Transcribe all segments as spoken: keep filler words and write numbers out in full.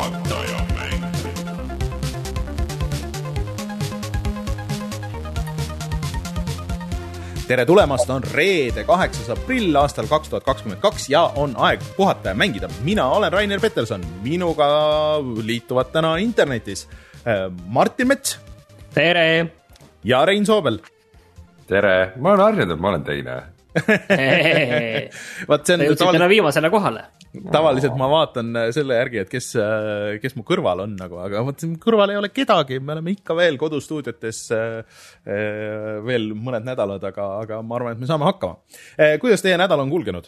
Puhataja mäng. Tere tulemast, on reede kaheksas aprill aastal kaks tuhat kakskümmend kaks ja on aeg puhata ja mängida. Mina olen Rainer Peterson, minuga liituvad täna internetis Martin Mets. Tere! Ja Rein Soobel. Tere! Ma olen harjunud, ma olen teine. Vaat see on jõudsid tavalis... täna viimasele kohale. Tavaliselt ma vaatan selle järgi, et kes, kes mu kõrval on, nagu, aga vaat, kõrval ei ole kedagi, me oleme ikka veel kodustuudiotes veel mõned nädalad, aga, aga ma arvan, et me saame hakkama. Kuidas teie nädal on kulgenud?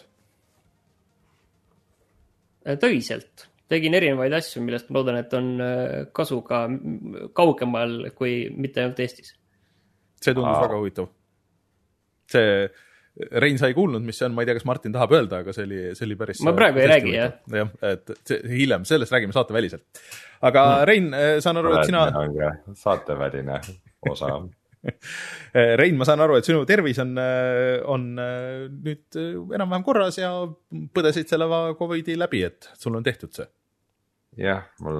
Töiselt. Tegin erinevaid asju, millest ma loodan, et on kasu ka kaugemal kui mitte ainult Eestis. See tundus Aa. väga huvitav. See... Rein sai kuulnud, mis see on, ma ei tea, kas Martin tahab öelda, aga see oli, see oli päris... Ma praegu ei räägi, jah. jah. Et see, hiljem, sellest räägime saate väliselt. Aga mm. Rein, saan aru, et sina... Saate väline osa. Rein, ma saan aru, et sinu tervis on, on nüüd enam-vähem korras ja põdesid selle Covidi läbi, et sul on tehtud see? Jah, mul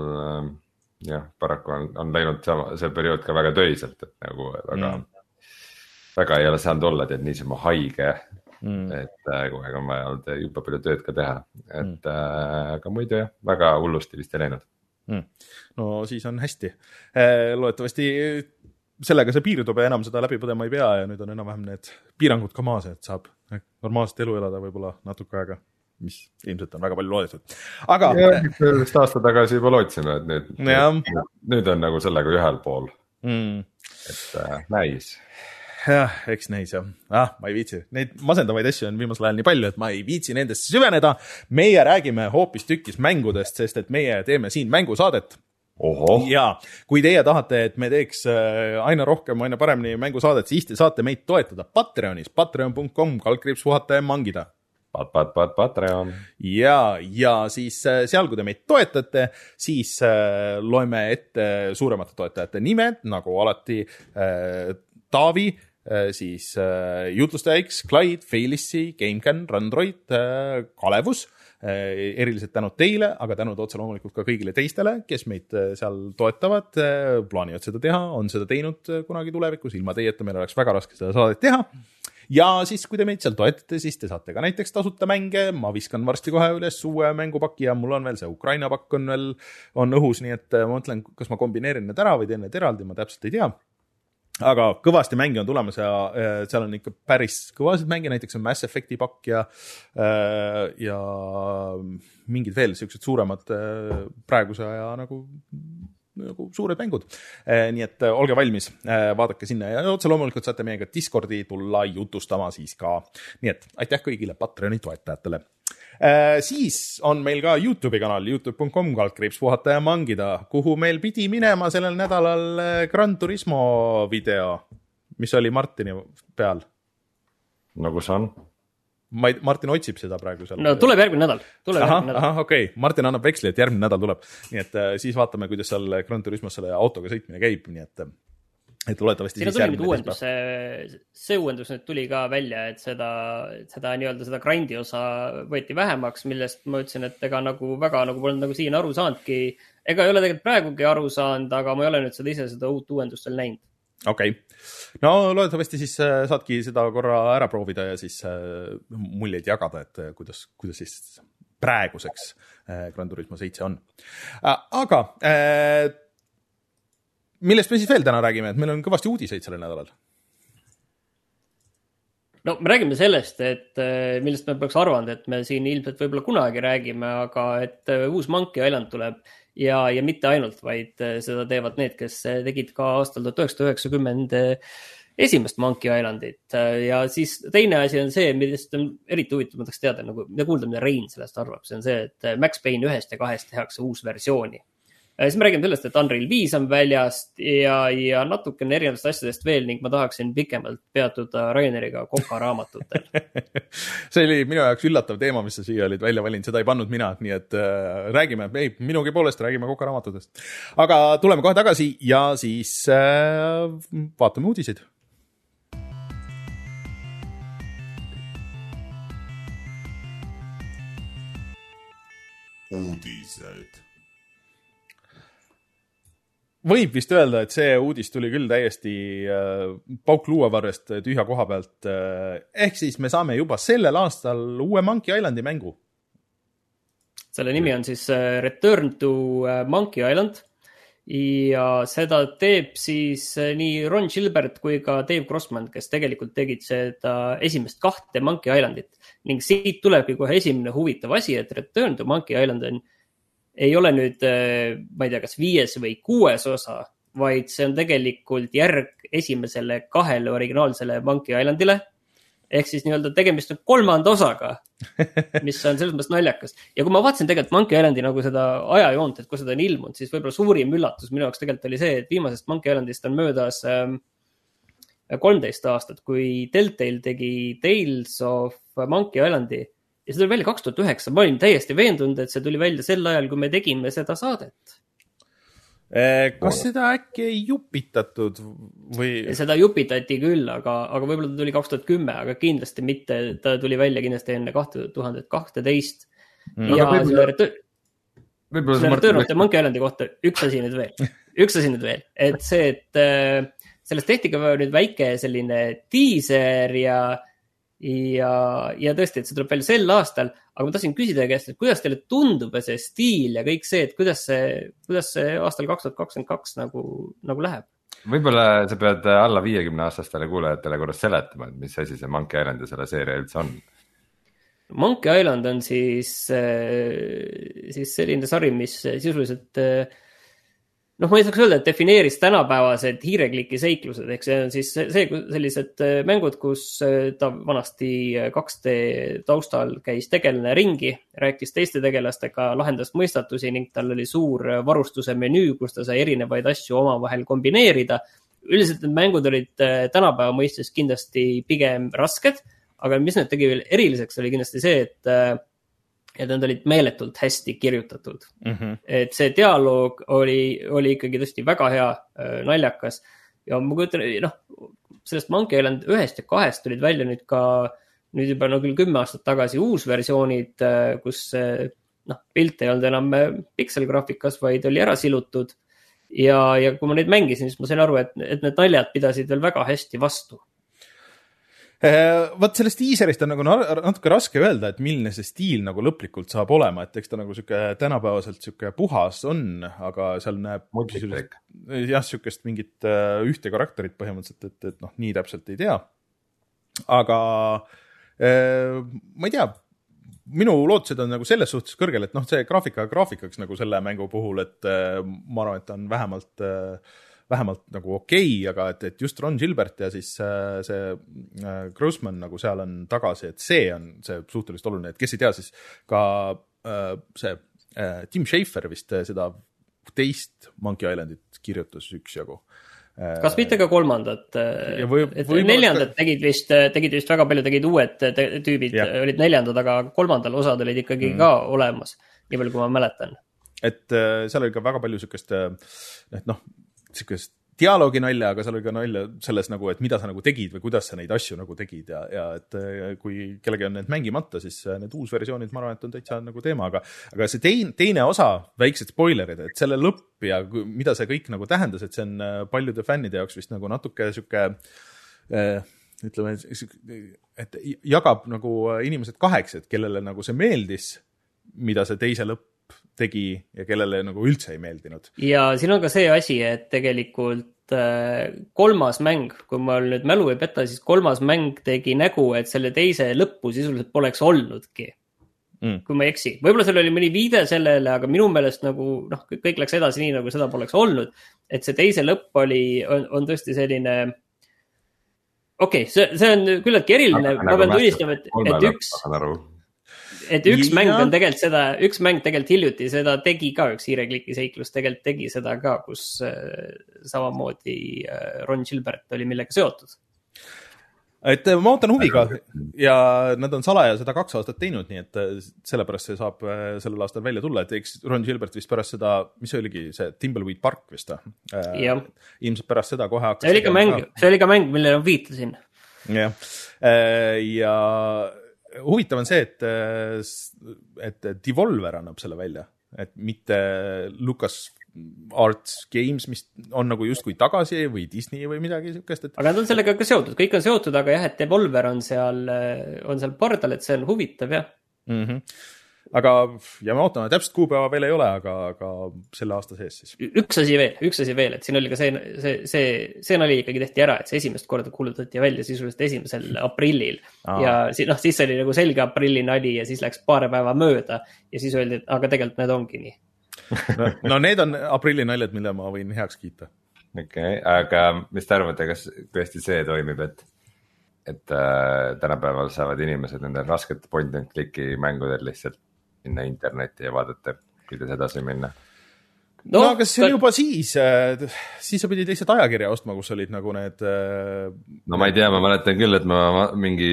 jah, paraku on, on läinud see periood ka väga töiselt, et nagu väga... Mm. väga ei ole saanud olla, et niisama haige, mm. et kogu aeg on vaja olnud juba palju tööd ka teha, et mm. äh, aga muidu jah, väga hullusti vist ei läinud. Mm. No siis on hästi. Loodetavasti sellega see piirdub ja enam seda läbi põdema ei pea ja nüüd on enam-vähem need piirangud ka maas, et saab normaalset elu elada võib-olla natuke aega, mis ilmselt on väga palju loodetud. Aga... Ja, vist aasta tagasi juba lootsime, et nüüd, nüüd, nüüd on nagu sellega ühel pool, mm. et äh, näis. Jah, eks näis jah. Ah, ma ei viitsi. Neid masendavaid asju on viimasel ajal nii palju, et ma ei viitsi nendest süveneda. Meie räägime hoopis tükis mängudest, sest et meie teeme siin mängusaadet. Oho. Ja kui teie tahate, et me teeks aina rohkem, aina paremini mängusaadet, siis te saate meid toetada Patreonis, patreon punkt com, kaldkriips puhata ja mangida. Pat, pat, pat, Patreon. Ja, ja siis seal, kui te meid toetate, siis loeme ette suuremate toetajate nimed, nagu alati Taavi, siis äh, Jutlustaja X, Clyde, Feilissi, GameCAN, Randroid, äh, Kalevus, äh, eriliselt tänud teile, aga tänud otse loomulikult ka kõigile teistele, kes meid äh, seal toetavad, äh, plaanivad seda teha, on seda teinud äh, kunagi tulevikus, ilma teieta meil oleks väga raske seda saadet teha. Ja siis, kui te meid seal toetate, siis te saate ka näiteks tasuta mänge, ma viskan varsti kohe üles uue mängupaki ja mul on veel see Ukraina pakk on veel on õhus, nii et ma mõtlen, kas ma kombineerin need ära või teen need eraldi, ma täpselt ei tea. Aga kõvasti mänge on tulemas ja seal on ikka päris kõvasid mänge, näiteks on Mass Effecti pakk ja, ja mingid veel sellised suuremad praeguse aja nagu, nagu suured mängud. Nii et olge valmis, vaadake sinna ja otse loomulikult saate meiega Discordi tulla jutustama siis ka. Nii et aitäh kõigile Patreoni toetajatele. Äh, siis on meil ka YouTube'i kanal youtube punkt com kaldkriips puhata ja mangida, kuhu meil pidi minema sellel nädalal Gran Turismo video, mis oli Martini peal. No kus on? Ma ei, Martin otsib seda praegu seal. No tuleb järgmine nädal. Tuleb aha, järgmine nädal. Aha, okei. Okay. Martin annab veksli, et järgmine nädal tuleb. Nii et äh, siis vaatame, kuidas seal Gran Turismos selle autoga sõitmine käib, nii et et loodetavasti siis järgmine uuendus, see, see uuendus nüüd tuli ka välja, et seda, seda nii-öelda seda grindi osa võeti vähemaks, millest ma ütlesin, et ega nagu väga nagu polnud nagu siin aru saanudki, ega ei ole tegelikult praegugi aru saanud, aga ma ei ole nüüd seda ise seda uut uuendust veel näinud. Okei. Okay. No loodetavasti siis saadki seda korra ära proovida ja siis muljeid jagada, et kuidas, kuidas siis praeguseks Gran Turismo seitse on. Aga millest me siis veel täna räägime, et meil on kõvasti uudiseid sellel nädalal? No me räägime sellest, et millest me peaks arvanud, et me siin ilmselt võib-olla kunagi räägime, aga et uus Monkey Island tuleb ja, ja mitte ainult, vaid seda teevad need, kes tegid ka aastal tuhat üheksasada üheksakümmend esimest Monkey Islandit. Ja siis teine asi on see, millest on eriti huvitav, ma tahaks teada, nagu, ja kuulda, mida Rein sellest arvab, see on see, et Max Payne ühest ja kahest tehakse uus versiooni. Siis me räägime sellest, et Unreal viis on väljast ja, ja natukene erinevatest asjadest veel ning ma tahaksin pikemalt peatuda Raineriga Koka raamatutel. See oli minu jaoks üllatav teema, mis sa siia olid välja valinud, seda ei pannud mina, nii et äh, räägime, ei, minugi poolest räägime Koka raamatutest. Aga tuleme kohe tagasi ja siis äh, vaatame uudiseid. Uudised. võib vist öelda, et see uudis tuli küll täiesti äh, pauk luuavarrest tühja koha pealt. Ehk siis me saame juba sellel aastal uue Monkey Islandi mängu. Selle nimi on siis Return to Monkey Island. Ja seda teeb siis nii Ron Gilbert kui ka Dave Grossman, kes tegelikult tegid seda esimest kahte Monkey Islandit. Ning siit tulebki kohe esimene huvitav asi, et Return to Monkey Island on, ei ole nüüd, ma ei tea, kas viies või kuues osa, vaid see on tegelikult järg esimesele kahele originaalsele Monkey Islandile. Ehk siis nii-öelda tegemist on kolmanda osaga, mis on selles mõttes naljakas. Ja kui ma vaatasin tegelikult Monkey Islandi nagu seda ajajoont, et kui seda on ilmunud, siis võib-olla suurim üllatus minu jaoks tegelikult oli see, et viimasest Monkey Islandist on möödas ähm, kolmteist aastat, kui Telltale tegi Tales of Monkey Islandi ja see tuli välja kaks tuhat üheksa. Ma olin täiesti veendunud, et see tuli välja sel ajal, kui me tegime seda saadet. Kas seda äkki ei jupitatud või? Seda jupitati küll, aga, aga võib-olla ta tuli kaks tuhat kümme, aga kindlasti mitte, ta tuli välja kindlasti enne kaks tuhat kaksteist. Mm. Ja selle Return of the Monkey Islandi kohta üks asi nüüd veel. Üks asi nüüd veel, et see, et sellest tehti ka nüüd väike selline teaser ja Ja, ja tõesti, et see tuleb välja sel aastal, aga ma tahtsin küsida käest, et kuidas teile tundub see stiil ja kõik see, et kuidas see, kuidas see aastal kaks tuhat kakskümmend kaks nagu, nagu läheb? Võib-olla sa pead alla viiekümne aastastele kuulajatele korras seletama, et mis asi see Monkey Island ja selle seeria üldse on. Monkey Island on siis, siis selline sari, mis sisuliselt noh, ma ei saaks öelda, et defineeris tänapäevased hiirekliki seiklused, ehk see on siis see, sellised mängud, kus ta vanasti kaks D taustal käis tegelane ringi, rääkis teiste tegelastega, lahendas mõistatusi ning tal oli suur varustuse menüü, kus ta sai erinevaid asju omavahel kombineerida. Üldiselt need mängud olid tänapäeva mõistes kindlasti pigem rasked, aga mis need tegi veel eriliseks oli kindlasti see, et et nad olid meeletult hästi kirjutatud. Mm-hmm. Et see dialoog oli, oli ikkagi tõesti väga hea, naljakas. Ja ma kujutan, noh, sellest Monkey Island ühest ja kahest tulid välja nüüd ka, nüüd juba no küll kümme aastat tagasi uus versioonid, kus noh, pilt ei olnud enam pikselgraafikas, vaid oli ära silutud. Ja, ja kui ma neid mängisin, siis ma sain aru, et, et need naljad pidasid veel väga hästi vastu. Vaat sellest teaserist on nagu natuke raske öelda, et milline see stiil nagu lõplikult saab olema, et eks ta nagu süke tänapäevaselt süke puhas on, aga seal näeb jah, sükest mingit ühte karakterit põhimõtteliselt, et, et noh, nii täpselt ei tea. Aga ma ei tea, minu lootused on nagu selles suhtes kõrgel, et noh, see graafika graafikaks nagu selle mängu puhul, et ma arvan, et ta on vähemalt vähemalt nagu okei, aga et, et just Ron Gilbert ja siis äh, see äh, Grossman nagu seal on tagasi, et see on see suhteliselt oluline, et kes ei tea, siis ka äh, see äh, Tim Schafer vist seda teist Monkey Islandit kirjutas üksjagu. Äh, Kas mitte ka kolmandat? Või, et või neljandat ka... tegid vist, tegid vist väga palju, tegid uued te, tüübid, ja. Olid neljandad, aga kolmandal osad olid ikkagi mm. ka olemas, nii palju kui ma mäletan. Et äh, seal oli ka väga palju sükest, et noh, sükest dialoogi nalja, aga seal oli ka nalja selles nagu, et mida sa nagu tegid või kuidas sa neid asju nagu tegid ja, ja et kui kellegi on need mängimata, siis need uusversioonid, ma arvan, et on täitsa nagu teema, aga, aga see teine, teine osa, väiksed spoilerid, et selle lõpp ja mida see kõik nagu tähendas, et see on paljude fännide jaoks vist nagu natuke süke, ütleme, et jagab nagu inimesed kaheks, et kellele nagu see meeldis, mida see teise lõpp tegi ja kellele nagu üldse ei meeldinud. Ja siin on ka see asi, et tegelikult kolmas mäng, kui ma nüüd mälu ei peta, siis kolmas mäng tegi nägu, et selle teise lõppu sisuliselt poleks olnudki. Mm. Kui ma ei eksi. Võib-olla seal oli mõni viide sellele, aga minu meelest nagu, noh, kõik läks edasi nii, nagu seda poleks olnud. Et see teise lõpp oli, on, on tõesti selline, okei, okay, see, see on küllaltki eriline, ma pean tunnistama, et, et üks... Et üks ja. mäng on tegelikult seda, üks mäng tegelikult hiljuti seda tegi ka, üks hiirekliki seiklus tegelikult tegi seda ka, kus äh, samamoodi äh, Ron Gilbert oli millega seotud. Et ma ootan huviga ja nad on salaja seda kaks aastat teinud, nii et sellepärast see saab sellel aastal välja tulla, et eks Ron Gilbert vist pärast seda, mis see oligi, see Timbleweed Park vist, äh, ilmselt pärast seda kohe hakkas. See oli ka mäng, see oli ka mäng, millele ma viitasin. Ja, äh, ja huvitav on see, et, et Devolver annab selle välja, et mitte Lucas Arts Games, mis on nagu justkui tagasi või Disney või midagi siukest. Et... aga nad on sellega ka seotud, kõik on seotud, aga jah, et Devolver on seal, on seal pardal, et see on huvitav, jah. Mm-hmm. Aga ja me ootame, täpselt kuupäeva veel ei ole, aga, aga selle aasta sees siis. Üks asi veel, üks asi veel, et siin oli ka see, see, see, see nali ikkagi tehti ära, et see esimest korda kuulutati välja sisuliselt esimesel aprillil. Aa. Ja noh, siis oli nagu selge aprilli nali ja siis läks paar päeva mööda ja siis öeldi, et aga tegelikult need ongi nii. no, no need on aprilli naljad, mille ma võin heaks kiita. Okei, okay, aga mis te arvate, kas tõesti see toimib, et et äh, tänapäeval saavad inimesed nende raskete point and click'i mängudel lihtsalt minna internetti ja vaadata, kuidas edasi minna. No, no aga see oli juba siis, siis sa pidid lihtsalt ajakirja ostma, kus olid nagu need... No ma ei tea, ma mäletan küll, et ma mingi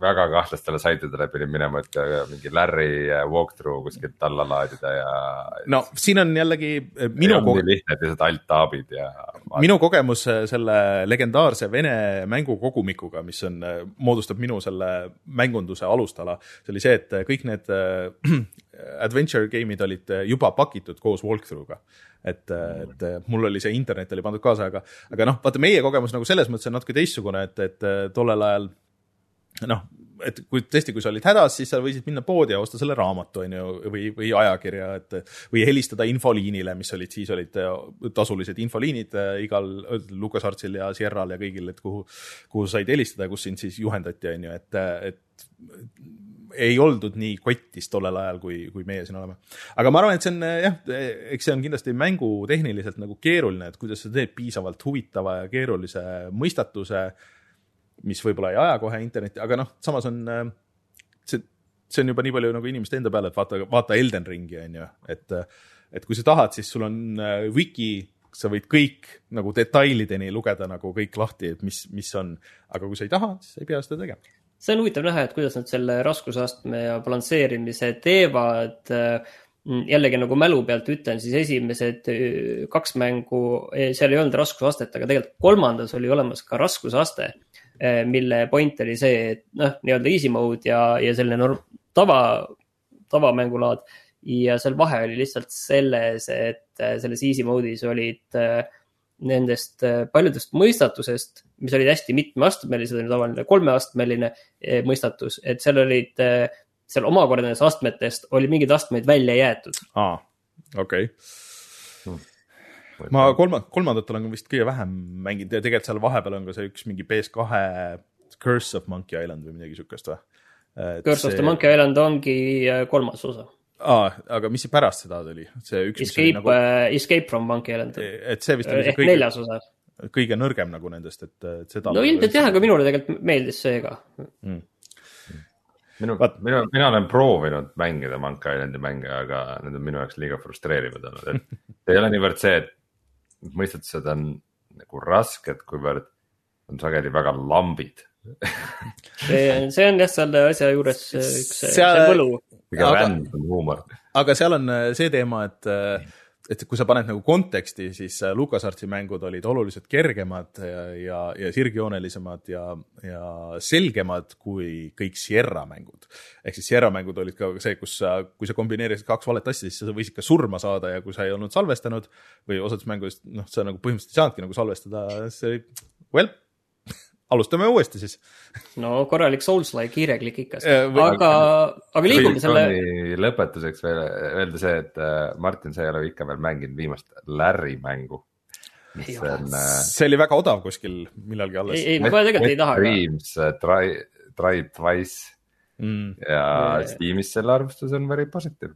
väga kahtlastele saitidele pidin minema, et mingi Larry walkthrough kuskilt alla laadida ja... No siin on jällegi... Minu on nii lihtne, et lihtsalt alt-taabid ja... Minu kogemus selle legendaarse Vene mängukogumikuga, mis on, moodustab minu selle mängunduse alustala, see oli see, et kõik need adventure game'id olid juba pakitud koos walkthrough'ga. Et, et mul oli see internet oli pandud kaasa, aga, aga noh, vaata meie kogemus nagu selles mõttes on natuke teistsugune, et, et tollel ajal noh, et kui tõesti, kui sa olid hädas, siis sa võisid minna poodi ja osta selle raamatu on ju, või, või ajakirja, et, või helistada infoliinile, mis olid, siis olid tasulised infoliinid igal LucasArtsil ja Sierral ja kõigil, et kuhu, kuhu said helistada ja kus sind siis juhendati, on ju, et, et ei oldud nii kottis tollel ajal, kui, kui meie siin oleme. Aga ma arvan, et see on, jah, eks see on kindlasti mängu tehniliselt nagu keeruline, et kuidas sa teed piisavalt huvitava ja keerulise mõistatuse, mis võib-olla ei aja kohe internetti, aga noh, samas on see, see on juba nii palju nagu inimeste enda peale, et vaata, vaata Elden Ringi, on ju, et, et kui sa tahad, siis sul on wiki, sa võid kõik nagu detailideni lugeda nagu kõik lahti, et mis, mis on, aga kui sa ei taha, siis ei pea seda tegema. See on huvitav näha, et kuidas nad selle raskusastme ja balansseerimise teevad. Jällegi nagu mälu pealt ütlen, siis esimesed kaks mängu, seal ei olnud raskusastet, aga tegelikult kolmandas oli olemas ka raskusaste, mille point oli see, et noh, nii-öelda easy mode ja, ja selline norm, tava, tavamängulaad ja seal vahe oli lihtsalt selles, et selles easy mode'is olid nendest paljudest mõistatusest, mis olid hästi mitmeastmelised, oli tavaline kolmeastmeline mõistatus, et seal olid seal omakordades astmetest oli mingid astmeid välja jäetud. Aa, okei. Okay. Ma kolma, kolmandat olen vist kõige vähem mänginud ja tegelikult seal vahepeal on ka see üks mingi P S kahe Curse of Monkey Island või midagi sükest või? Et Curse see... of the Monkey Island ongi kolmas osa. Aa, aga mis see pärast seda tuli? See üks, Escape, nagu... uh, Escape from Monkey Island. Et see vist oli see kõige, neljas osa. Kõige nõrgem nagu nendest, et, et seda... No ilmselt jah, aga minule tegelikult meeldis see ka. Mm. Minu, mina, mina olen proovinud mängida Monkey Islandi mänge, aga need on minu jaoks liiga frustreerivad olnud. Et ei ole niivõrd see, et mõistatused on nagu rasked, kuivõrd on sageli väga lambid. see, see on jah selle asja juures üks seal... võlu. Aga, huumor. aga seal on see teema, et, et kui sa paned nagu konteksti, siis LucasArtsi mängud olid oluliselt kergemad ja, ja, ja sirgjoonelisemad ja, ja selgemad kui kõik Sierra mängud. Ehk siis Sierra mängud olid ka see, kus sa, kui sa kombineerisid kaks valet asja, siis sa võisid ka surma saada ja kui sa ei olnud salvestanud või osades mängudest, noh, sa nagu põhimõtteliselt ei saanudki nagu salvestada, see oli, well, alustame uuesti siis. No korralik Souls-like kiireklik ikka. Aga, aga liigume selle... Lõpetuseks veel öelda see, et Martin, sa ei ole ikka veel mänginud viimast Larry mängu. On, see oli väga odav kuskil millalgi alles. Ei, ei ma tegelikult ei taha. Dreams, Try, try Twice mm. ja yeah. Steamis selle arvustus on very positive.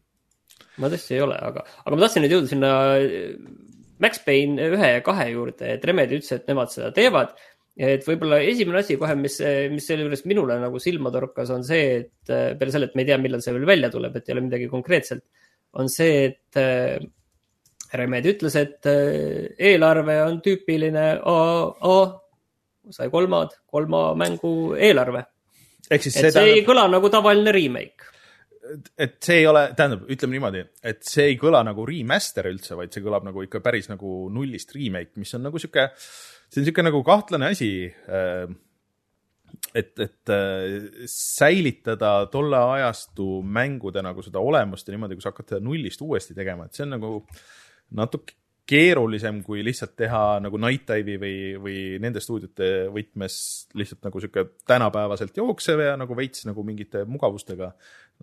Ma tõesti ei ole, aga, aga ma tahtsin nüüd jõuda sinna Max Payne ühe ja kahe juurde, et Remedy ütles, et nemad seda teevad. Et võib-olla esimene asi kohe, mis, mis selle juures minule nagu silma torkas, on see, et peale selle, et me ei tea, millal see veel välja tuleb, et ei ole midagi konkreetselt, on see, et Remedy ütles, et eelarve on tüüpiline A, A, sai kolmad, kolma mängu eelarve. Et see tähendab... ei kõla nagu tavaline remake. Et see ei ole, tähendab, ütleme niimoodi, et see ei kõla nagu remaster üldse, vaid see kõlab nagu ikka päris nagu nullist remake, mis on nagu siuke... See on siuke nagu kahtlane asi. et, et säilitada tolle ajastu mängude nagu seda olemust ja niimoodi, kui sa hakkad seda nullist uuesti tegema, et see on nagu natuke keerulisem kui lihtsalt teha nagu Night Dive'i või, või nende stuudiote võtmes lihtsalt nagu siuke tänapäevaselt jooksev ja nagu veits nagu mingite mugavustega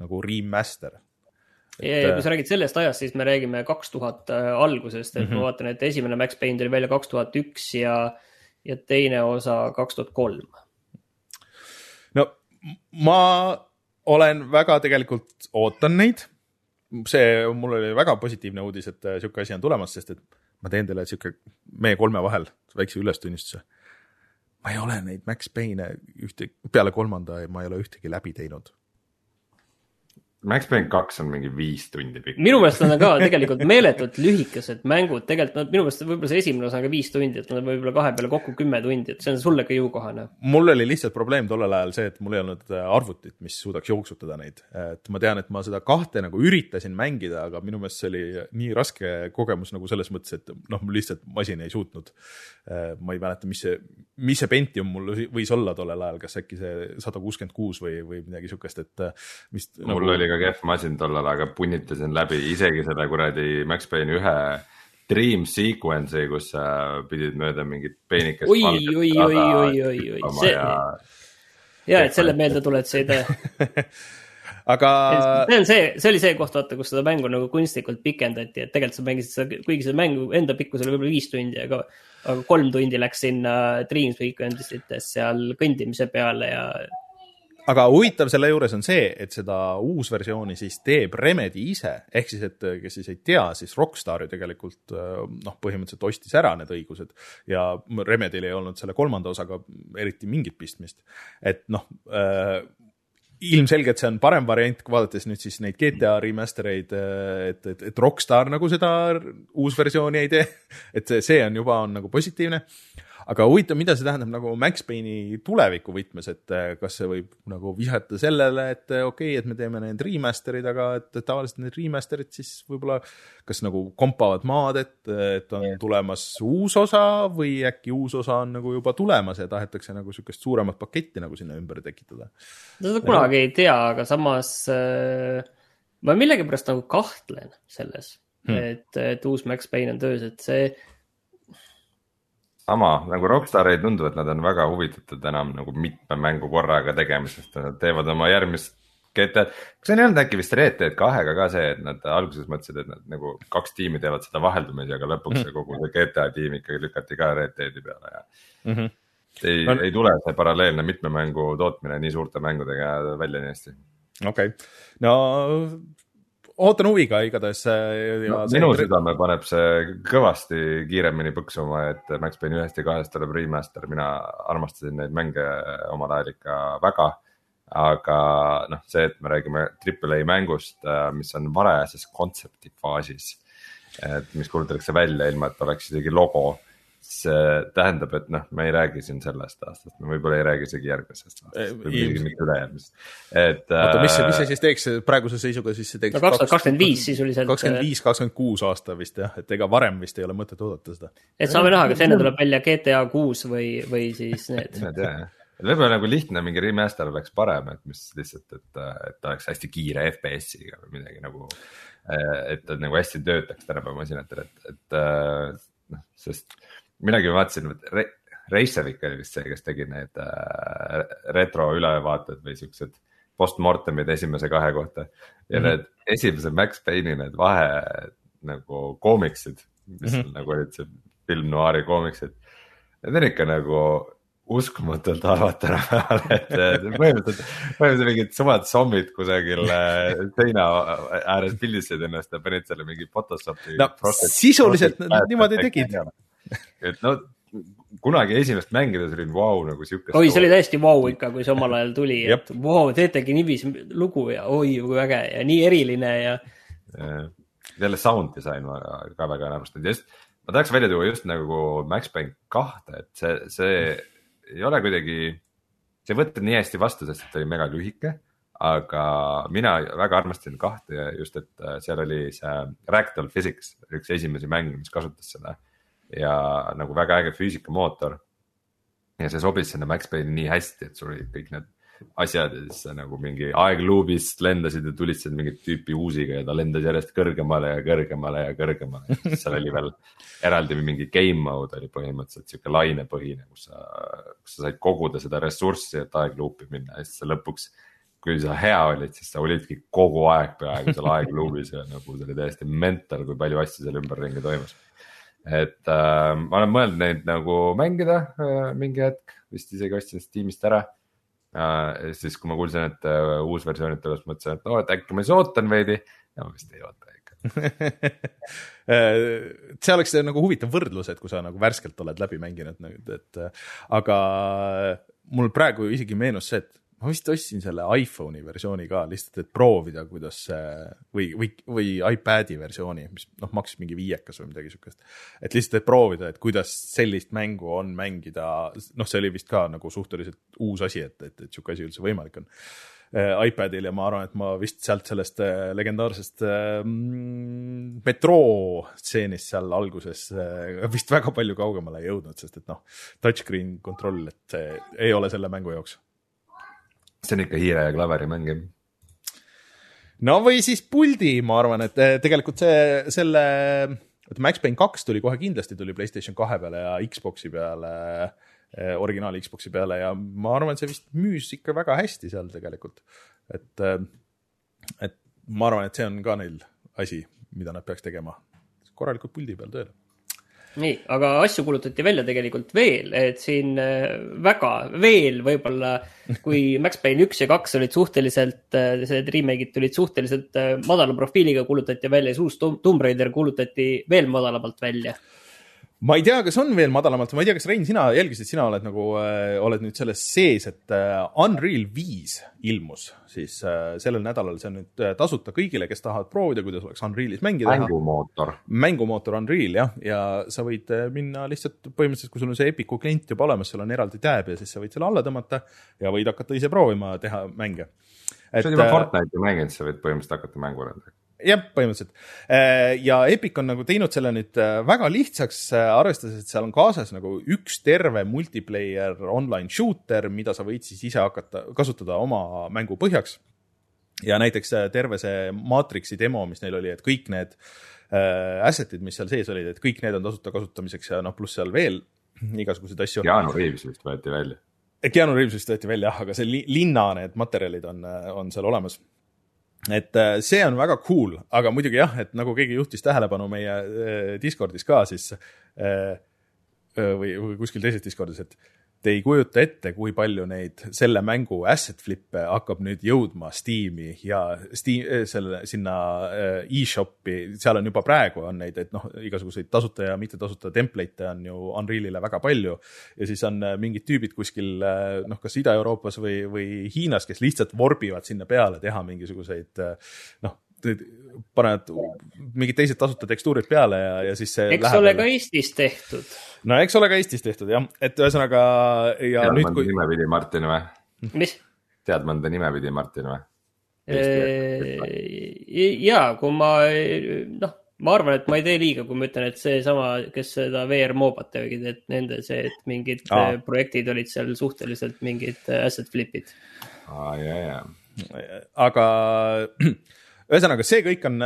nagu remaster. Ja, ja kui sa räägid sellest ajast, siis me räägime kaks tuhat algusest, et mm-hmm. ma vaatan, et esimene Max Payne tuli välja kaks tuhat üks ja, ja teine osa kaks tuhat kolm. No ma olen väga tegelikult ootan neid. See mul oli väga positiivne uudis, et siuke asi on tulemas, sest et ma teen teile siuke meie kolme vahel väikse ülestunnistuse. Ma ei ole neid Max Payne ühte, peale kolmanda ja ma ei ole ühtegi läbi teinud. Max Payne kaks on mingi viis tundi pikk. Minu meelest on ka tegelikult meeletult lühikesed mängud. Tegelikult no, minu meelest võib-olla see esimene osa on ka viis tundi, et nad võib-olla kahe peale kokku kümme tundi, et see on sulle ka jõukohane. Mul oli lihtsalt probleem tollel ajal see, et mul ei olnud arvutit, mis suudaks jooksutada neid. Et ma tean, et ma seda kahte nagu üritasin mängida, aga minu meelest see oli nii raske kogemus nagu selles mõttes, et noh, mul lihtsalt masin ei suutnud. Ma ei mäleta, mis see, mis see Pentium mul võis olla tollel ajal, kas äkki see sada kuuskümmend kuus või, või midagi sukest, et mis mul nagu... oli ka kehv masin tollal, aga punnitasin läbi isegi selle kuradi Max Payne ühe dream sequence'i, kus sa pidid mööda mingit peenikest oi, oi, oi, oi, oi, oi, see ja, ja et selle meelde tuled see idee. Aga see on see, see oli see koht, vaata, kus seda mängu nagu kunstlikult pikendati, et tegelikult sa mängisid seda, kuigi seda mängu enda pikkus oli võib-olla viis tundi, aga, aga kolm tundi läks sinna dream sequence'ites seal kõndimise peale ja aga huvitav selle juures on see, et seda uusversiooni siis teeb Remedy ise, ehk siis, et kes siis ei tea, siis Rockstar ju tegelikult noh, põhimõtteliselt ostis ära need õigused ja Remedyl ei olnud selle kolmanda osaga eriti mingit pistmist. Et noh, äh, ilmselgelt see on parem variant, vaadates nüüd siis neid G T A remastereid, et, et, et Rockstar nagu seda uusversiooni ei tee, et see, see on juba on nagu positiivne. Aga huvitav, mida see tähendab nagu Max Payne'i tuleviku võtmes, et kas see võib nagu vihata sellele, et okei, okay, et me teeme need remasterid, aga et tavaliselt need remasterid siis võib-olla kas nagu kompavad maad, et, et on tulemas uus osa või äkki uus osa on nagu juba tulemas ja tahetakse nagu sükest suuremat paketti nagu sinna ümber tekitada. Seda kunagi ei tea, aga samas äh, ma millegi pärast nagu kahtlen selles, hmm. et, et uus Max Payne on töös, et see sama, nagu Rockstar ei tundu, et nad on väga huvitatud enam nagu mitme mängu korraga tegemisest, nad teevad oma järgmist G T A, kas see ei olnud äkki vist Red Dead kahega ka see, et nad alguses mõtlesid, et nad nagu kaks tiimi teevad seda vaheldumisi, aga lõpuks mm -hmm. kogu see G T A tiim ikkagi lükati ka Red Deadi peale ja mm -hmm. ei, no, ei tule see paralleelne mitme mängu tootmine nii suurte mängudega välja nii hästi. Okei, okay. No ootan huviga igatahes. No, minu südame paneb see kõvasti kiiremini põksuma, et Max Payne ühest ja kahest tuleb remaster, mina armastasin neid mänge omal ajal ikka väga, aga noh, see, et me räägime triple A mängust, mis on varajases kontsepti faasis, et mis kuulutatakse välja ilma, et oleks isegi logo, see tähendab, et noh, me ei räägi siin sellest aastast, me võib-olla ei räägi isegi järgmisest aastast või isegi mitte ülejärgmist. Oota, mis, mis see siis teeks praeguse seisuga, siis see teeks no kaks tuhat kakskümmend viis sisuliselt. kakskümmend viis kakskümmend kuus aasta vist jah, et ega varem vist ei ole mõtet oodata seda. Et saame näha, kas enne tuleb välja G T A kuus või, või siis need. Võib-olla nagu lihtne mingi remaster oleks parem, et mis lihtsalt, et, et oleks hästi kiire F P S-iga või midagi nagu, et nagu hästi töötaks tänapäeva masinatel, et, et noh, sest minagi vaatasin, et Reisevik oli vist see, kes tegi need äh, retro ülevaated või siuksed postmortemid esimese kahe kohta ja mm -hmm. need esimese Max Payne'i need vahe nagu koomiksid, mis mm -hmm. nagu olid see film noiri koomiksid, need on ikka nagu uskumatult halvad tänapäeval, et põhimõtteliselt, põhimõtteliselt mingid sumad zombid kusagil seina ääres pildisid ennast ja panid selle mingi Photoshopi. No sisuliselt nad niimoodi tegid. Et no kunagi esimest mängides olin vau wow, nagu siukest. Oi, see oli täiesti vau wow ikka, kui see omal ajal tuli, et vau, wow, teetegi niivis lugu ja oi, kui äge ja nii eriline ja. Jälle sound design ma ka väga arvestanud. Just, ma tahaks välja tuua just nagu Max Payne kahte, et see, see ei ole kuidagi, see võtted nii hästi vastu, sest et oli mega lühike, aga mina väga armastasin kahte just, et seal oli see Ragdoll Physics, üks esimesi mänge, mis kasutas seda ja nagu väga äge füüsikamootor. ja see sobis sinna Max Payne'i nii hästi, et sul olid kõik need asjad ja siis nagu mingi aegluubist lendasid ja tulistasid mingit tüüpi uusiga ja ta lendas järjest kõrgemale ja kõrgemale ja kõrgemale. Seal oli veel eraldi mingi game mode oli põhimõtteliselt siuke lainepõhine, kus sa, kus sa said koguda seda ressurssi, et aegluupi minna ja siis sa lõpuks, kui sa hea olid, siis sa olidki kogu aeg peaaegu seal aegluubis ja nagu see oli täiesti mental, kui palju asju seal ümberringi toimus. Et äh, ma olen mõelnud neid nagu mängida äh, mingi hetk, vist isegi ostsin Steamist ära. Uh, siis kui ma kuulsin, et uh, uus versioonid tuleb, mõtlesin, et no, et äkki ma siis ootan veidi ja ma vist ei oota ikka. See oleks nagu huvitav võrdlus, et kui sa nagu värskelt oled läbi mänginud, et, aga mul praegu isegi meenus see, et ma vist ostsin selle iPhone'i versiooni ka lihtsalt, et proovida, kuidas see või, või, või iPad'i versiooni, mis noh, maksis mingi viiekas või midagi sukest. Et lihtsalt, et proovida, et kuidas sellist mängu on mängida, noh, see oli vist ka nagu suhteliselt uus asi, et, et, et siuke asi üldse võimalik on iPadil ja ma arvan, et ma vist sealt sellest legendaarsest mm, Metro stseenist seal alguses vist väga palju kaugemale ei jõudnud, sest et noh, touchscreen kontroll, et see ei ole selle mängu jaoks. See on ikka hiire ja klaveri mängi. No või siis puldi, ma arvan, et tegelikult see, selle, et Max Payne kaks tuli kohe kindlasti, tuli PlayStation kahe peale ja Xboxi peale, originaali Xboxi peale ja ma arvan, et see vist müüs ikka väga hästi seal tegelikult. Et, et ma arvan, et see on ka neil asi, mida nad peaks tegema korralikult puldi peal tööle. Nii, aga asju kulutati välja tegelikult veel, et siin väga veel võib-olla, kui Max Payne üks ja kaks olid suhteliselt, need remake'id tulid suhteliselt madala profiiliga, kulutati välja, uus Tomb Raider kulutati veel madalamalt välja. Ma ei tea, kas on veel madalamalt, ma ei tea, kas Rein, sina jälgisid, sina oled nagu, äh, oled nüüd selles sees, et äh, Unreal viis ilmus, siis äh, sellel nädalal see on nüüd äh, tasuta kõigile, kes tahavad proovida, kuidas oleks Unrealis mängida. Mängumootor. Mängumootor Unreal, jah, ja sa võid äh, minna lihtsalt põhimõtteliselt, kui sul on see Epicu klient juba olemas, sul on eraldi tab ja siis sa võid selle alla tõmmata ja võid hakata ise proovima teha mänge. Et, see on juba Fortnite'i mängid, sa võid põhimõtteliselt hakata mängu rõndagi. Jah, põhimõtteliselt. Ja Epic on nagu teinud selle nüüd väga lihtsaks, arvestades, et seal on kaasas nagu üks terve multiplayer online shooter, mida sa võid siis ise hakata kasutada oma mängu põhjaks. Ja näiteks terve see Matrixi demo, mis neil oli, et kõik need assetid, mis seal sees olid, et kõik need on tasuta kasutamiseks ja noh, pluss seal veel igasugused asju. Keanu Reeves vist võeti välja. Keanu Reeves vist võeti välja, aga see linna need materjalid on, on seal olemas. Et see on väga cool, aga muidugi jah, et nagu keegi juhtis tähelepanu meie Discordis ka siis või, või kuskil teises Discordis, et te ei kujuta ette, kui palju neid selle mängu asset flippe hakkab nüüd jõudma Steam'i ja Steam, selle, sinna e-shopi, seal on juba praegu on neid, et noh, igasuguseid tasuta ja mitte tasuta template on ju Unrealile väga palju ja siis on mingid tüübid kuskil noh, kas Ida-Euroopas või, või Hiinas, kes lihtsalt vorbivad sinna peale teha mingisuguseid noh, panevad mingid teised tasuta tekstuurid peale ja, ja siis see eks ole ka Eestis tehtud. No eks ole ka Eestis tehtud, jah. Et ühesõnaga ja tead nüüd mõnda kui... nime pidi Martin või? Mis? Tead mõnda nime pidi Martin või? Jaa, kui ma noh, ma arvan, et ma ei tee liiga, kui ma ütlen, et see sama, kes seda V R Mobat tegid, et nende see, et mingid Aa. projektid olid seal suhteliselt mingid asset flipid. Aa, jah, jah. Aga ühesõnaga, see kõik on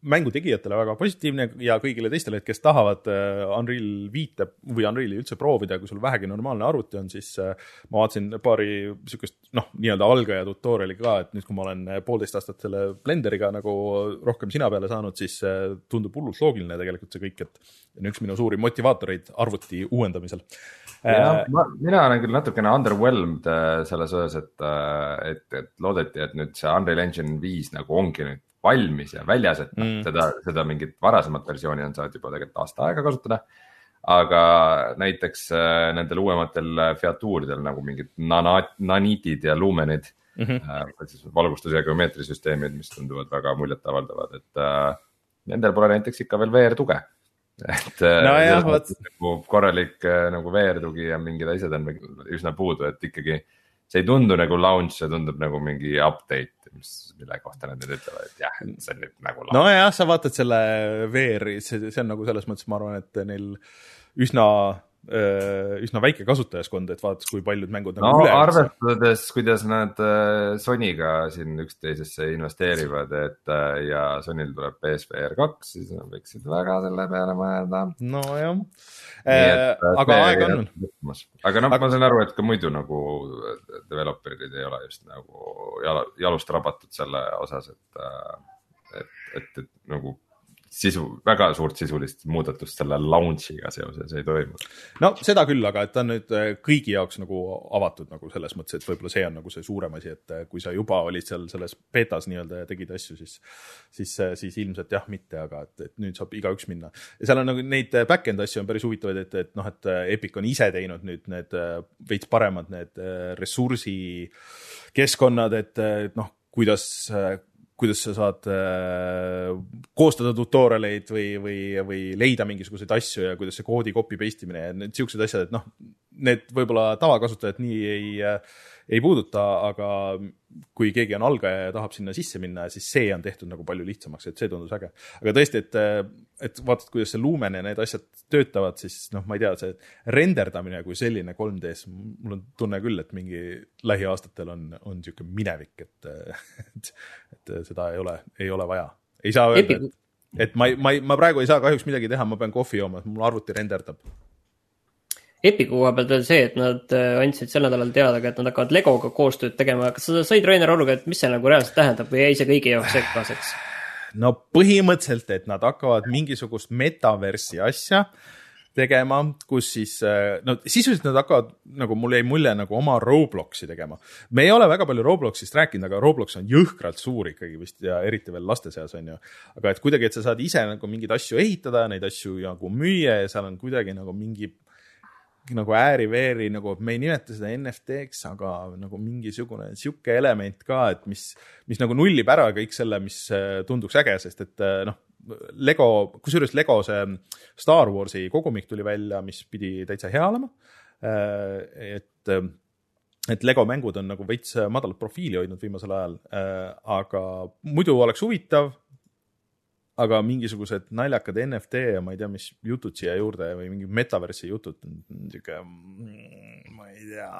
mängu tegijatele väga positiivne ja kõigile teistele, et kes tahavad Unreal viite või Unreali üldse proovida, kui sul vähegi normaalne arvuti on, siis ma vaatasin paari sükest, noh, nii-öelda algaja tutoriali ka, et nüüd, kui ma olen poolteist aastat selle Blenderiga nagu rohkem sina peale saanud, siis tundub hullult loogiline tegelikult see kõik, et on üks minu suuri motivaatoreid arvuti uuendamisel. Ja, ma, mina olen küll natukene underwhelmed selles osas, et, et, et loodeti, et nüüd see Unreal Engine viis nagu ongi nüüd valmis ja väljas, et mm. seda, seda mingit varasemat versiooni on saanud juba tegelikult aasta aega kasutada. Aga näiteks nendel uuematel featuuridel nagu mingid nanitid ja lumenid, mm-hmm. siis valgustus- ja geomeetrisüsteemid, mis tunduvad väga muljet avaldavad, et uh, nendel pole näiteks ikka veel V R tuge. Et no jah, võt... nagu korralik nagu V R tugi ja mingid asjad on üsna puudu, et ikkagi see ei tundu nagu launch, see tundub nagu mingi update, mis, mille kohta nad nüüd ütlevad, et jah, see on nüüd nagu launch. No jah, sa vaatad selle V R-i, see, see on nagu selles mõttes, ma arvan, et neil üsna üsna väike kasutajaskond, et vaadates, kui paljud mängud no nagu üle. Arvestades, kuidas nad Sonyga siin üksteisesse investeerivad, et ja Sonyl tuleb P S V R kaks, siis nad võiksid väga selle peale mõelda. No jah, et, aga aega on. Aga noh, ma saan aru, et ka muidu nagu developerid ei ole just nagu jalust rabatud selle osas, et, et, et, et nagu sisu, väga suurt sisulist muudatust selle launchiga seoses ei toimu. No seda küll, aga et ta on nüüd kõigi jaoks nagu avatud nagu selles mõttes, et võib-olla see on nagu see suurem asi, et kui sa juba olid seal selles betas nii-öelda ja tegid asju, siis, siis, siis ilmselt jah, mitte, aga et, et nüüd saab igaüks minna. Ja seal on nagu neid back-end asju on päris huvitavaid, et, et noh, et Epic on ise teinud nüüd need veits paremad need ressursi keskkonnad, et, et noh, kuidas kuidas sa saad äh, koostada tutorialeid või, või, või leida mingisuguseid asju ja kuidas see koodi copy paste imine ja need siuksed asjad, et noh, need võib-olla tavakasutajad nii ei, ei puuduta, aga kui keegi on algaja ja tahab sinna sisse minna, siis see on tehtud nagu palju lihtsamaks, et see tundus äge. Aga tõesti, et, et vaatad, kuidas see Lumen ja need asjad töötavad, siis noh, ma ei tea, see renderdamine kui selline kolm D-s, mul on tunne küll, et mingi lähiaastatel on, on siuke minevik, et, et, et seda ei ole, ei ole vaja. Ei saa öelda, et, et ma, ma, ma praegu ei saa kahjuks midagi teha, ma pean kohvi jooma, mul arvuti renderdab. Epiku koha pealt veel see, et nad andsid sel nädalal teada, et nad hakkavad Legoga koostööd tegema. Kas sa said Rainer aru, et mis see nagu reaalselt tähendab või jäi see kõigi jaoks sekkaseks? No põhimõtteliselt, et nad hakkavad mingisugust metaversi asja tegema, kus siis, no sisuliselt nad hakkavad, nagu mul jäi mulje, nagu oma Robloxi tegema. Me ei ole väga palju Robloxist rääkinud, aga Roblox on jõhkralt suur ikkagi vist ja eriti veel laste seas on ju. Aga et kuidagi, et sa saad ise nagu mingeid asju ehitada, neid asju nagu müüa ja seal on kuidagi nagu mingi nagu ääri-veeri, nagu me ei nimeta seda N F T-ks, aga nagu mingisugune siuke element ka, et mis, mis nagu nullib ära kõik selle, mis tunduks äge, sest et noh, Lego, kusjuures Lego see Star Warsi kogumik tuli välja, mis pidi täitsa hea olema. Et, et Lego mängud on nagu veits madalat profiili hoidnud viimasel ajal, aga muidu oleks huvitav, aga mingisugused naljakad N F T ja ma ei tea, mis jutud siia juurde või mingi metaversi jutud, niisugune, ma ei tea.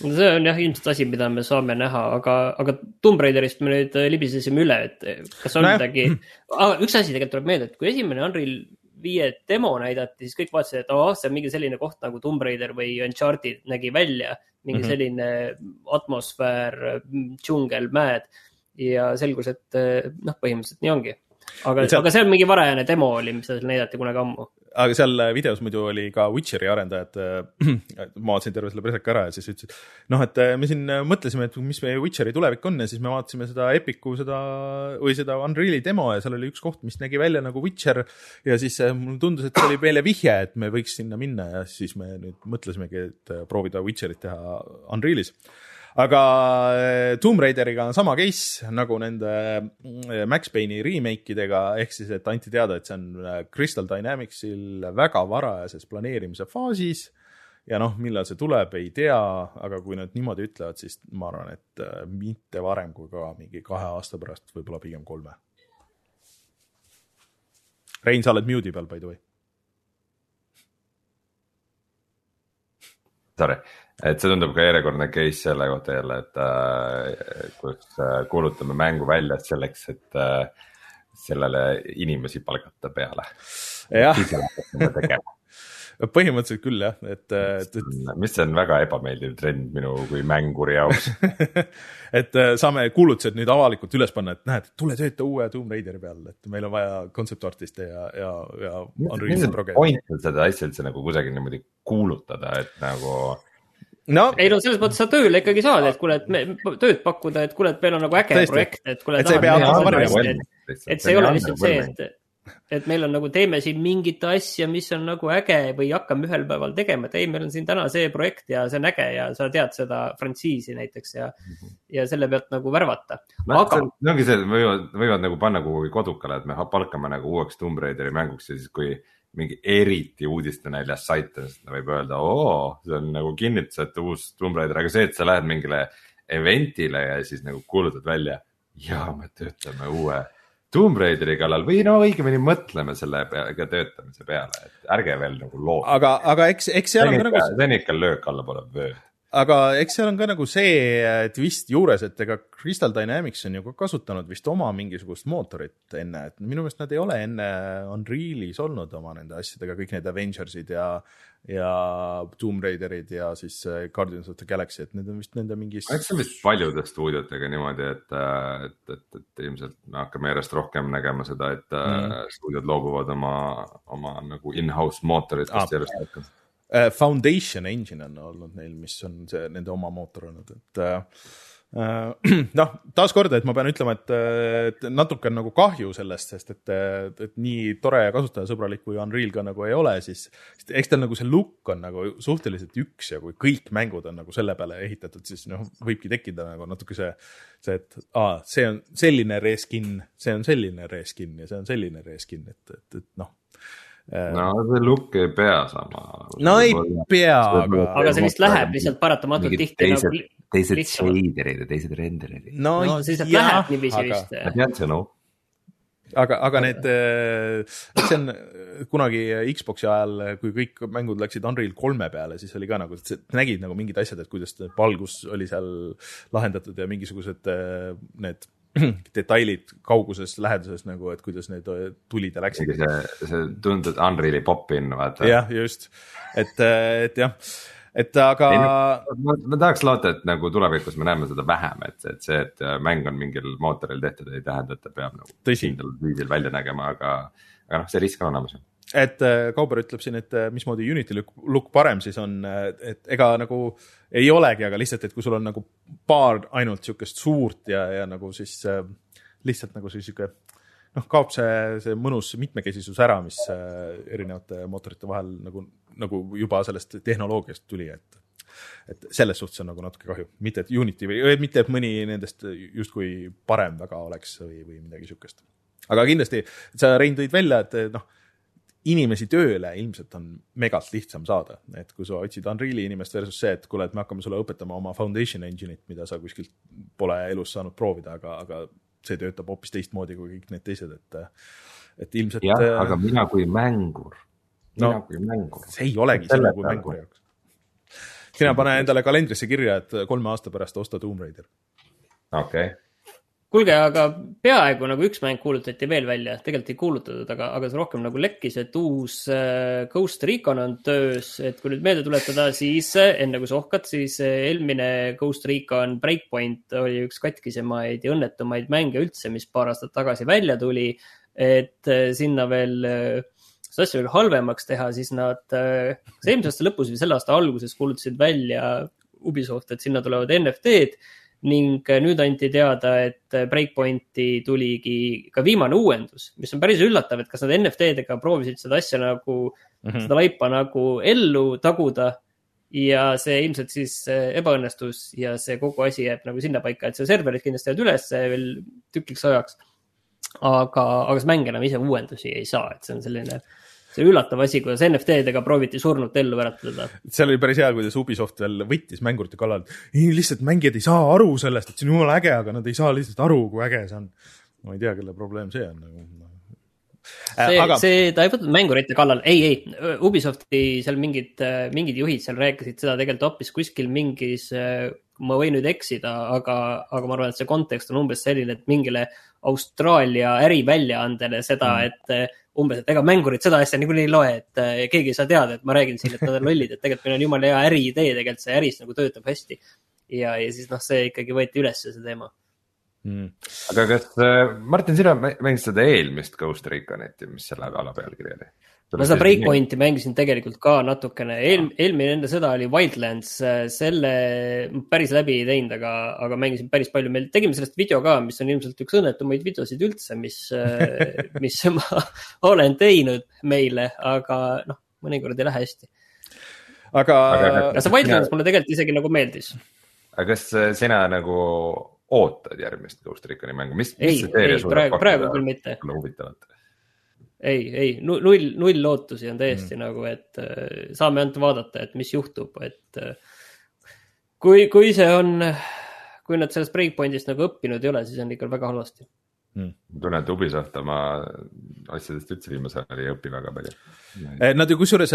See on jah ilmselt asi, mida me saame näha, aga, aga Tomb Raiderist me nüüd libisesime üle, et kas on no midagi, ah, üks asi tegelikult tuleb meelde, et kui esimene Unreal viie demo näidati, siis kõik vaatasid, et oh, see on mingi selline koht nagu Tomb Raider või Uncharted nägi välja, mingi mm-hmm. selline atmosfäär, džungel, mäed ja selgus, et noh, põhimõtteliselt nii ongi. Aga, seal, aga see on mingi varajane demo oli, mis seal näidati kunagi ammu. Aga seal videos muidu oli ka Witcheri arendajad, ma vaatasin terve selle preseka ära ja siis ütlesid, noh, et me siin mõtlesime, et mis meie Witcheri tulevik on ja siis me vaatasime seda Epicu seda, või seda Unreali demo ja seal oli üks koht, mis nägi välja nagu Witcher ja siis mul tundus, et see oli meile vihje, et me võiks sinna minna ja siis me nüüd mõtlesimegi, et proovida Witcherit teha Unrealis. Aga Tomb Raideriga on sama case nagu nende Max Payne'i remake'idega, ehk siis, et anti teada, et see on Crystal Dynamicsil väga varajases planeerimise faasis ja noh, millal see tuleb, ei tea, aga kui nad niimoodi ütlevad, siis ma arvan, et mitte varem kui ka mingi kahe aasta pärast, võib-olla pigem kolme. Rein, sa oled mute'i peal, by the way. Sorry. Et see tundub ka järjekordne case selle kohta jälle, et äh, kus äh, kuulutame mängu välja selleks, et äh, sellele inimesi palgata peale. Jah, põhimõtteliselt küll jah. Et, et, et... mis see on väga ebameeldiv trend minu kui mänguri jaoks. et saame kuulutused nüüd avalikult üles panna, et näed, tule tööta uue Tomb Raideri peal, et meil on vaja concept-artiste ja, ja, ja mis on point seda asja üldse nagu kusagil niimoodi kuulutada, et nagu no. Ei no selles mõttes sa tööle ikkagi saad, et kuule, et me tööd pakkuda, et kuule, et meil on nagu äge Tõesti. projekt, et kuule, et, et, et, et see ei ole lihtsalt see, et, et meil on nagu teeme siin mingit asja, mis on nagu äge või hakkame ühel päeval tegema, et ei, meil on siin täna see projekt ja see on äge ja sa tead seda frantsiisi näiteks ja, ja selle pealt nagu värvata. No, Aga... see ongi see, võivad, võivad nagu panna kuhugi kodukale, et me palkame nagu uueks Tomb Raideri mänguks ja siis kui mingi eriti uudistenäljas saite, sest võib öelda, oo, see on nagu kinnitus, et uus Tomb Raider, aga see, et sa lähed mingile eventile ja siis nagu kuulutad välja, ja me töötame uue Tomb Raideri kallal või no õigemini mõtleme selle peale, töötamise peale, et ärge veel nagu loo. aga, aga eks, eks seal on ka nagu... See on ikka löök alla pole vööd. Aga eks seal on ka nagu see twist juures, et ega Crystal Dynamics on ju ka kasutanud vist oma mingisugust mootorit enne, et minu meelest nad ei ole enne Unrealis olnud oma nende asjadega, kõik need Avengersid ja, ja Tomb Raiderid ja siis Guardians of the Galaxy, et need on vist nende mingis... Eks see on vist paljude stuudiotega niimoodi, et, et, et, et ilmselt me hakkame järjest rohkem nägema seda, et mm. stuudiod loobuvad oma, oma nagu in-house mootoritest ah. järjest rohkem. Foundation Engine on olnud neil, mis on see nende oma mootor olnud, et äh, noh, taas korda, et ma pean ütlema, et, et natuke on nagu kahju sellest, sest et, et nii tore ja kasutajasõbralik kui Unreal ka nagu ei ole, siis eks tal nagu see look on nagu suhteliselt üks ja kui kõik mängud on nagu selle peale ehitatud, siis noh, võibki tekkida nagu natuke see, see, et aa, see on selline reskin, see on selline reskin ja see on selline reskin, et, et, et noh, no see look ei pea sama. No ei pea, aga... aga see vist läheb lihtsalt paratamatult tihti teised, nagu... Teised shaderid ja teised renderid. No, no siis jah, läheb niiviisi aga... vist. Ma tean see no. Aga, aga need, see on kunagi Xboxi ajal, kui kõik mängud läksid Unreal kolme peale, siis oli ka nagu, nägid nagu mingid asjad, et kuidas valgus oli seal lahendatud ja mingisugused need detailid kauguses, läheduses nagu, et kuidas need tulid ja läksid. See, see tundub Unreali popin, vaata. Jah, just. Et, et jah, et aga... Ei, ma, ma tahaks loota, et nagu tulevikus me näeme seda vähem, et, et see, et mäng on mingil mootoril tehtud, ei tähenda, et ta peab nagu kindel viisil välja nägema, aga, aga noh, see risk on olemas. Et Kauber ütleb siin, et mismoodi Unity look, look parem siis on, et ega nagu ei olegi, aga lihtsalt, et kui sul on nagu paar ainult siukest suurt ja, ja nagu siis lihtsalt nagu siis siuke, noh, kaob see, see mõnus mitmekesisus ära, mis erinevate mootorite vahel nagu, nagu juba sellest tehnoloogiast tuli, et, et selles suhtes on nagu natuke kahju. Mitte, et Unity või mitte, et mõni nendest justkui parem väga oleks või, või midagi siukest. Aga kindlasti, sa Rein tõid välja, et noh, inimesi tööle ilmselt on megalt lihtsam saada, et kui sa otsid Unreali inimest versus see, et kuule, et me hakkame sulle õpetama oma Foundation Engine'it, mida sa kuskilt pole elus saanud proovida, aga, aga see töötab hoopis teistmoodi kui kõik need teised, et, et ilmselt... Jah, aga mina kui mängur, mina no, kui mängur. See ei olegi sinu kui mängur jaoks. Sina pane endale kalendrisse kirja, et kolme aasta pärast osta Tomb Raider. Okei. Okay. Kuulge, aga peaaegu nagu üks mäng kuulutati veel välja, tegelikult ei kuulutatud, aga, aga see rohkem nagu lekkis, et uus äh, Ghost Recon on töös, et kui nüüd meelde tuletada, siis enne kui sa ohkad, siis eelmine Ghost Recon Breakpoint oli üks katkisemaid ja õnnetumaid mänge üldse, mis paar aastat tagasi välja tuli, et äh, sinna veel äh, seda asja veel halvemaks teha, siis nad äh, see eelmise aasta lõpus või selle aasta alguses kuulutasid välja Ubisoft, et sinna tulevad N F T-d, ning nüüd anti teada, et Breakpointi tuligi ka viimane uuendus, mis on päris üllatav, et kas nad N F T-dega proovisid seda asja nagu, mm-hmm. seda laipa nagu ellu taguda ja see ilmselt siis ebaõnnestus ja see kogu asi jääb nagu sinna paika, et see serverid kindlasti jääd üles veel tükiks ajaks, aga, aga see mäng enam ise uuendusi ei saa, et see on selline... See üllatav asi, kuidas N F T-dega prooviti surnut ellu väratada. Seal oli päris hea, kuidas Ubisoft veel võttis mängurite kallal. Ei, lihtsalt mängijad ei saa aru sellest, et see on jumala äge, aga nad ei saa lihtsalt aru, kui äge see on. Ma ei tea, kelle probleem see on. See, aga... see, ta ei võtnud mängurite kallal. Ei, ei, Ubisofti seal mingid, mingid juhid seal rääkisid seda tegelikult hoopis kuskil mingis, ma võin nüüd eksida, aga, aga ma arvan, et see kontekst on umbes selline, et mingile Austraalia äriväljaandele seda, mm. et umbes, et ega mängurid seda asja niikuinii ei loe, et keegi ei saa teada, et ma räägin siin, et nad on lollid, et tegelikult meil on jumala hea äriidee, tegelikult see äris nagu töötab hästi. Ja, ja siis noh, see ikkagi võeti üles see teema. Mm. Aga kas, Martin, sina mängisid seda eelmist Ghost Reconit, mis selle ala pealkiri oli? Ma seda Breakpointi mängisin tegelikult ka natukene. Eel, eelmine enda seda oli Wildlands, selle päris läbi ei teinud, aga, aga mängisin päris palju. Meil tegime sellest video ka, mis on ilmselt üks õnnetumaid videosid üldse, mis, mis ma olen teinud meile, aga noh, mõnikord ei lähe hästi. Aga, aga see Wildlands mulle tegelikult isegi nagu meeldis. Aga kas sina nagu ootad järgmist Ghost Reconi mängu? Mis, ei, mis ei praegu, praegu küll mitte. Huvitavat. Ei, ei, null, null lootusi on täiesti mm. nagu, et äh, saame ainult vaadata, et mis juhtub, et äh, kui, kui see on, kui nad sellest Breakpointist nagu õppinud ei ole, siis on ikka väga halvasti. Hmm. Tunnen, et Ubisoft oma asjadest üldse viimasel ajal ei õpi väga palju. Nad ju kusjuures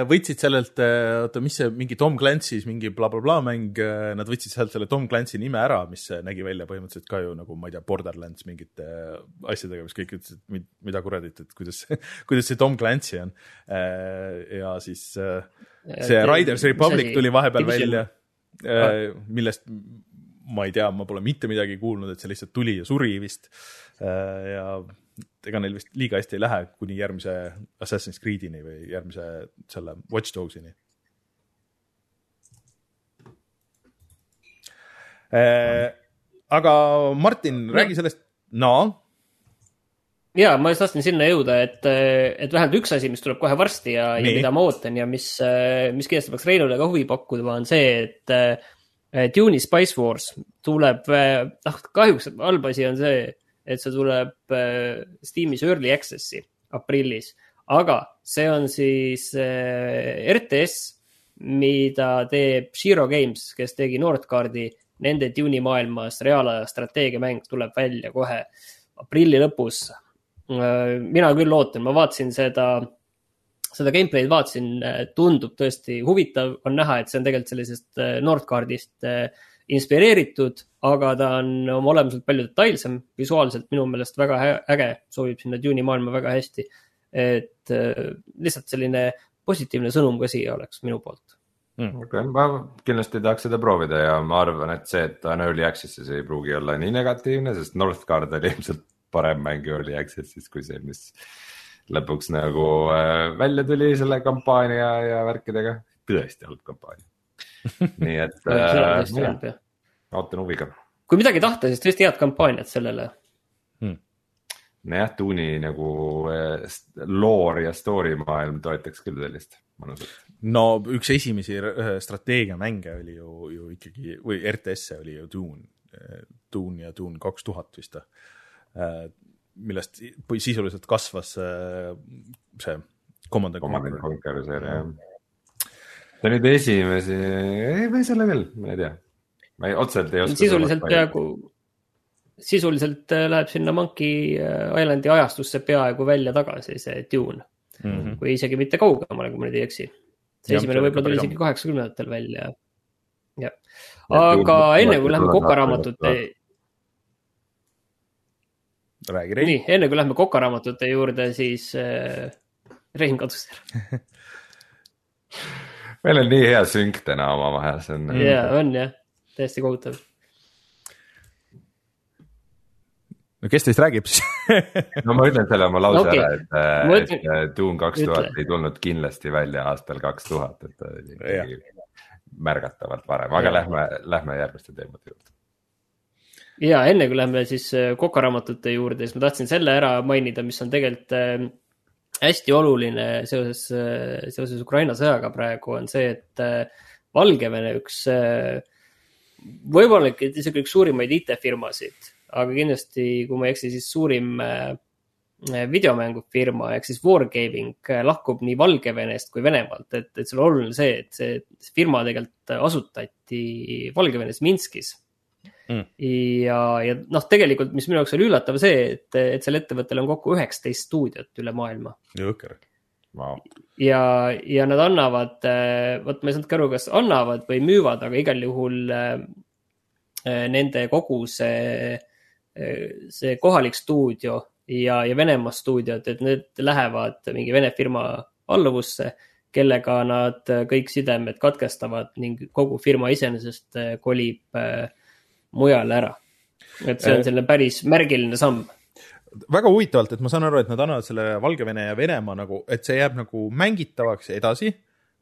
võtsid sellelt, oota, mis see, mingi Tom Clancy's mingi bla bla bla mäng, nad võtsid sealt selle Tom Clancy nime ära, mis nägi välja põhimõtteliselt ka ju nagu, ma ei tea, Borderlands mingite asjadega, mis kõik ütlesid, mida kuradit, et kuidas, kuidas see Tom Clancy on. Ja siis see Riders Republic tuli vahepeal välja, millest ma ei tea, ma pole mitte midagi kuulnud, et see lihtsalt tuli ja suri vist. Ja ega neil vist liiga hästi ei lähe kuni järgmise Assassin's Creed'ini või järgmise selle Watch Dogs'ini. Aga Martin, räägi sellest, no? Jaa, ma just tahtsin sinna jõuda, et, et vähemalt üks asi, mis tuleb kohe varsti ja, ja mida ma ootan ja mis, mis kindlasti peaks Reinule ka huvi pakkuda, on see, et Dune'i Spice Wars tuleb, noh, kahjuks halb asi on see, et see tuleb Steamis Early Access'i aprillis, aga see on siis R T S, mida teeb Shiro Games, kes tegi Nordcardi, nende Dune'i maailmas reaalaja strateegiamäng tuleb välja kohe aprilli lõpus. Mina küll ootan, ma vaatasin seda seda gameplay'd vaatasin, tundub tõesti huvitav, on näha, et see on tegelikult sellisest Nordcardist inspireeritud, aga ta on oma olemuselt palju detailsem, visuaalselt minu meelest väga äge, soovib sinna Dune'i maailma väga hästi, et lihtsalt selline positiivne sõnum ka siia oleks minu poolt. Mm. Okay. Ma kindlasti tahaks seda proovida ja ma arvan, et see, et ta on Early Access'is ei pruugi olla nii negatiivne, sest Northgard oli ilmselt parem mäng Early Access'is kui see, mis lõpuks nagu äh, välja tuli selle kampaania ja värkidega. Tõesti halb kampaania. Nii et äh, jah, ootan huviga. Kui midagi tahta, siis tõesti head kampaaniat sellele. Hmm. Jah, Dune'i nagu äh, lore ja story maailm toetaks küll sellist mõnusat. No üks esimesi strateegiamänge oli ju, ju ikkagi, või R T S oli ju Dune, Dune ja Dune kaks tuhat vist. Äh, millest sisuliselt kasvas see Command and Conquer. Conquer seeria, jah. See nüüd esimesi, ei või selle veel, ma ei tea. Ma ei, otseselt ei oska. Sisuliselt peaaegu, sisuliselt läheb sinna Monkey Islandi ajastusse peaaegu välja tagasi see Dune. Mm-hmm. Kui isegi mitte kaugemale, kui ma nüüd ei eksi. See esimene võib-olla tuli isegi kaheksakümnendatel välja. Ja. Aga enne kui lähme kokaraamatute... Räägi, Rein. Nii, enne kui lähme kokaraamatute juurde, siis äh, Rein kadus ära. Meil on nii hea synk täna oma vahel. On... Ja, on jah, täiesti kohutav. No kes teist räägib siis? No ma ütlen selle oma lause okay. ära, et, ütlen... et Dune kaks tuhat Ütle. Ei tulnud kindlasti välja aastal kaks tuhat, et märgatavalt varem, aga ja. lähme, lähme järgmiste teemade juurde. Ja enne kui lähme siis kokaraamatute juurde, siis ma tahtsin selle ära mainida, mis on tegelikult hästi oluline seoses, seoses Ukraina sõjaga praegu, on see, et Valgevene üks, võib-olla isegi üks suurimaid I T-firmasid, aga kindlasti, kui ma ei eksi, siis suurim videomängufirma, ehk siis Wargaming lahkub nii Valgevenest kui Venemaalt, et, et see on oluline see, et see, see firma tegelikult asutati Valgevenes Minskis. Mm. Ja, ja noh, tegelikult, mis minu jaoks oli üllatav see, et, et selle ettevõttel on kokku üheksateist stuudiot üle maailma. Jõker. Wow. Ja, ja nad annavad, võt ma ei saanud ka aru, kas annavad või müüvad, aga igal juhul nende kogu see, see kohalik stuudio ja, ja Venemaa stuudiot, et need lähevad mingi Vene firma alluvusse, kellega nad kõik sidemed katkestavad ning kogu firma iseenesest kolib mujale ära. Et see on selline päris märgiline samm. Väga huvitavalt, et ma saan aru, et nad annavad selle Valgevene ja Venemaa nagu, et see jääb nagu mängitavaks edasi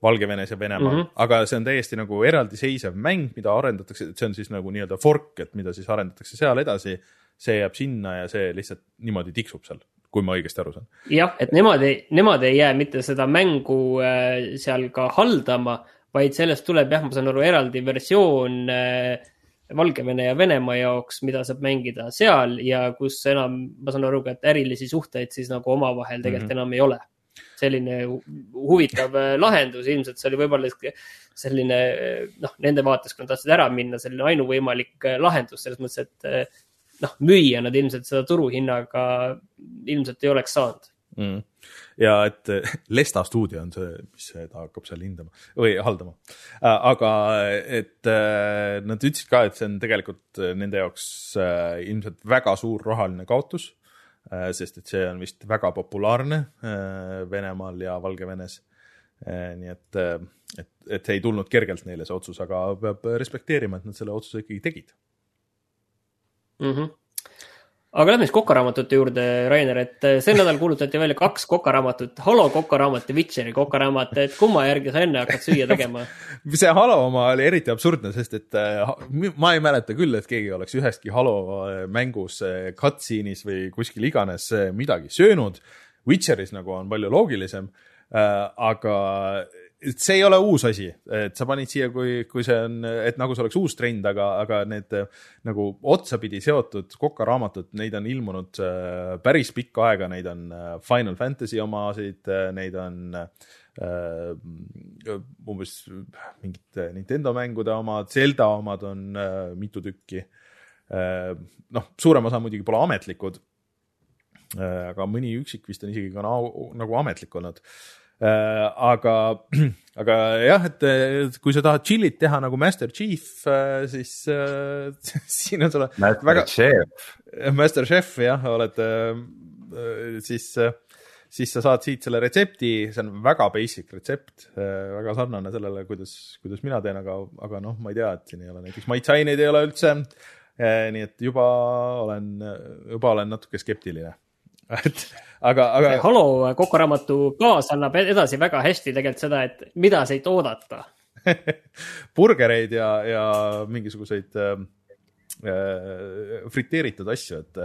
Valgevenes ja Venemaa, mm-hmm. aga see on täiesti nagu eraldiseisev mäng, mida arendatakse, et see on siis nagu nii-öelda fork, et mida siis arendatakse seal edasi, see jääb sinna ja see lihtsalt niimoodi tiksub seal, kui ma õigesti aru saan. Jah, et nemad ei, nemad ei jää mitte seda mängu seal ka haldama, vaid sellest tuleb, jah, ma saan aru, eraldi versioon Valgevene ja Venemaa jaoks, mida saab mängida seal ja kus enam, ma saan aru, et ärilisi suhteid siis nagu omavahel tegelikult mm-hmm. enam ei ole. Selline huvitav lahendus, ilmselt see oli võib-olla selline, noh, nende vaates, kui nad tahtsid ära minna, selline ainuvõimalik lahendus, selles mõttes, et noh, müüa nad ilmselt seda turuhinnaga ilmselt ei oleks saanud. Mm. Ja et Lesta stuudio on see, mis ta hakkab seal hindama või haldama. Aga et nad ütlesid ka, et see on tegelikult nende jaoks ilmselt väga suur rahaline kaotus, sest et see on vist väga populaarne Venemaal ja Valgevenes. Nii et, et, et ei tulnud kergelt neile see otsus, aga peab respekteerima, et nad selle otsuse ikkagi tegid. Mhm. Aga lähme siis kokaraamatute juurde, Rainer, et see nädal kuulutati välja kaks kokaraamatut, Halo kokaraamat ja Witcheri kokaraamat, et kumma järgi sa enne hakkad süüa tegema? See Halo oma oli eriti absurdne, sest et ma ei mäleta küll, et keegi oleks üheski Halo mängus cutscene'is või kuskil iganes midagi söönud. Witcheris nagu on palju loogilisem, aga see ei ole uus asi, et sa panid siia, kui, kui see on, et nagu see oleks uus trend, aga, aga need nagu otsapidi seotud kokaraamatut, neid on ilmunud päris pikka aega, neid on Final Fantasy omasid, neid on uh, umbes mingid Nintendo mängude omad, Zelda omad on uh, mitu tükki. Uh, noh, suurem osa muidugi pole ametlikud, uh, aga mõni üksik vist on isegi ka nagu, nagu ametlik olnud. Uh, aga, aga jah, et kui sa tahad chillit teha nagu Master Chief, uh, siis uh, siin on sulle Master väga... Chef. Master Chef, jah, oled, uh, siis, uh, siis sa saad siit selle retsepti, see on väga basic retsept, uh, väga sarnane sellele, kuidas, kuidas mina teen, aga, aga noh, ma ei tea, et siin ei ole näiteks maitsaineid ei ole üldse, uh, nii et juba olen, juba olen natuke skeptiline. Et, aga, aga... Halo kokkuraamatu kaas annab edasi väga hästi tegelikult seda, et mida sa ei toodata. Burgereid ja, ja mingisuguseid äh, friteeritud asju, et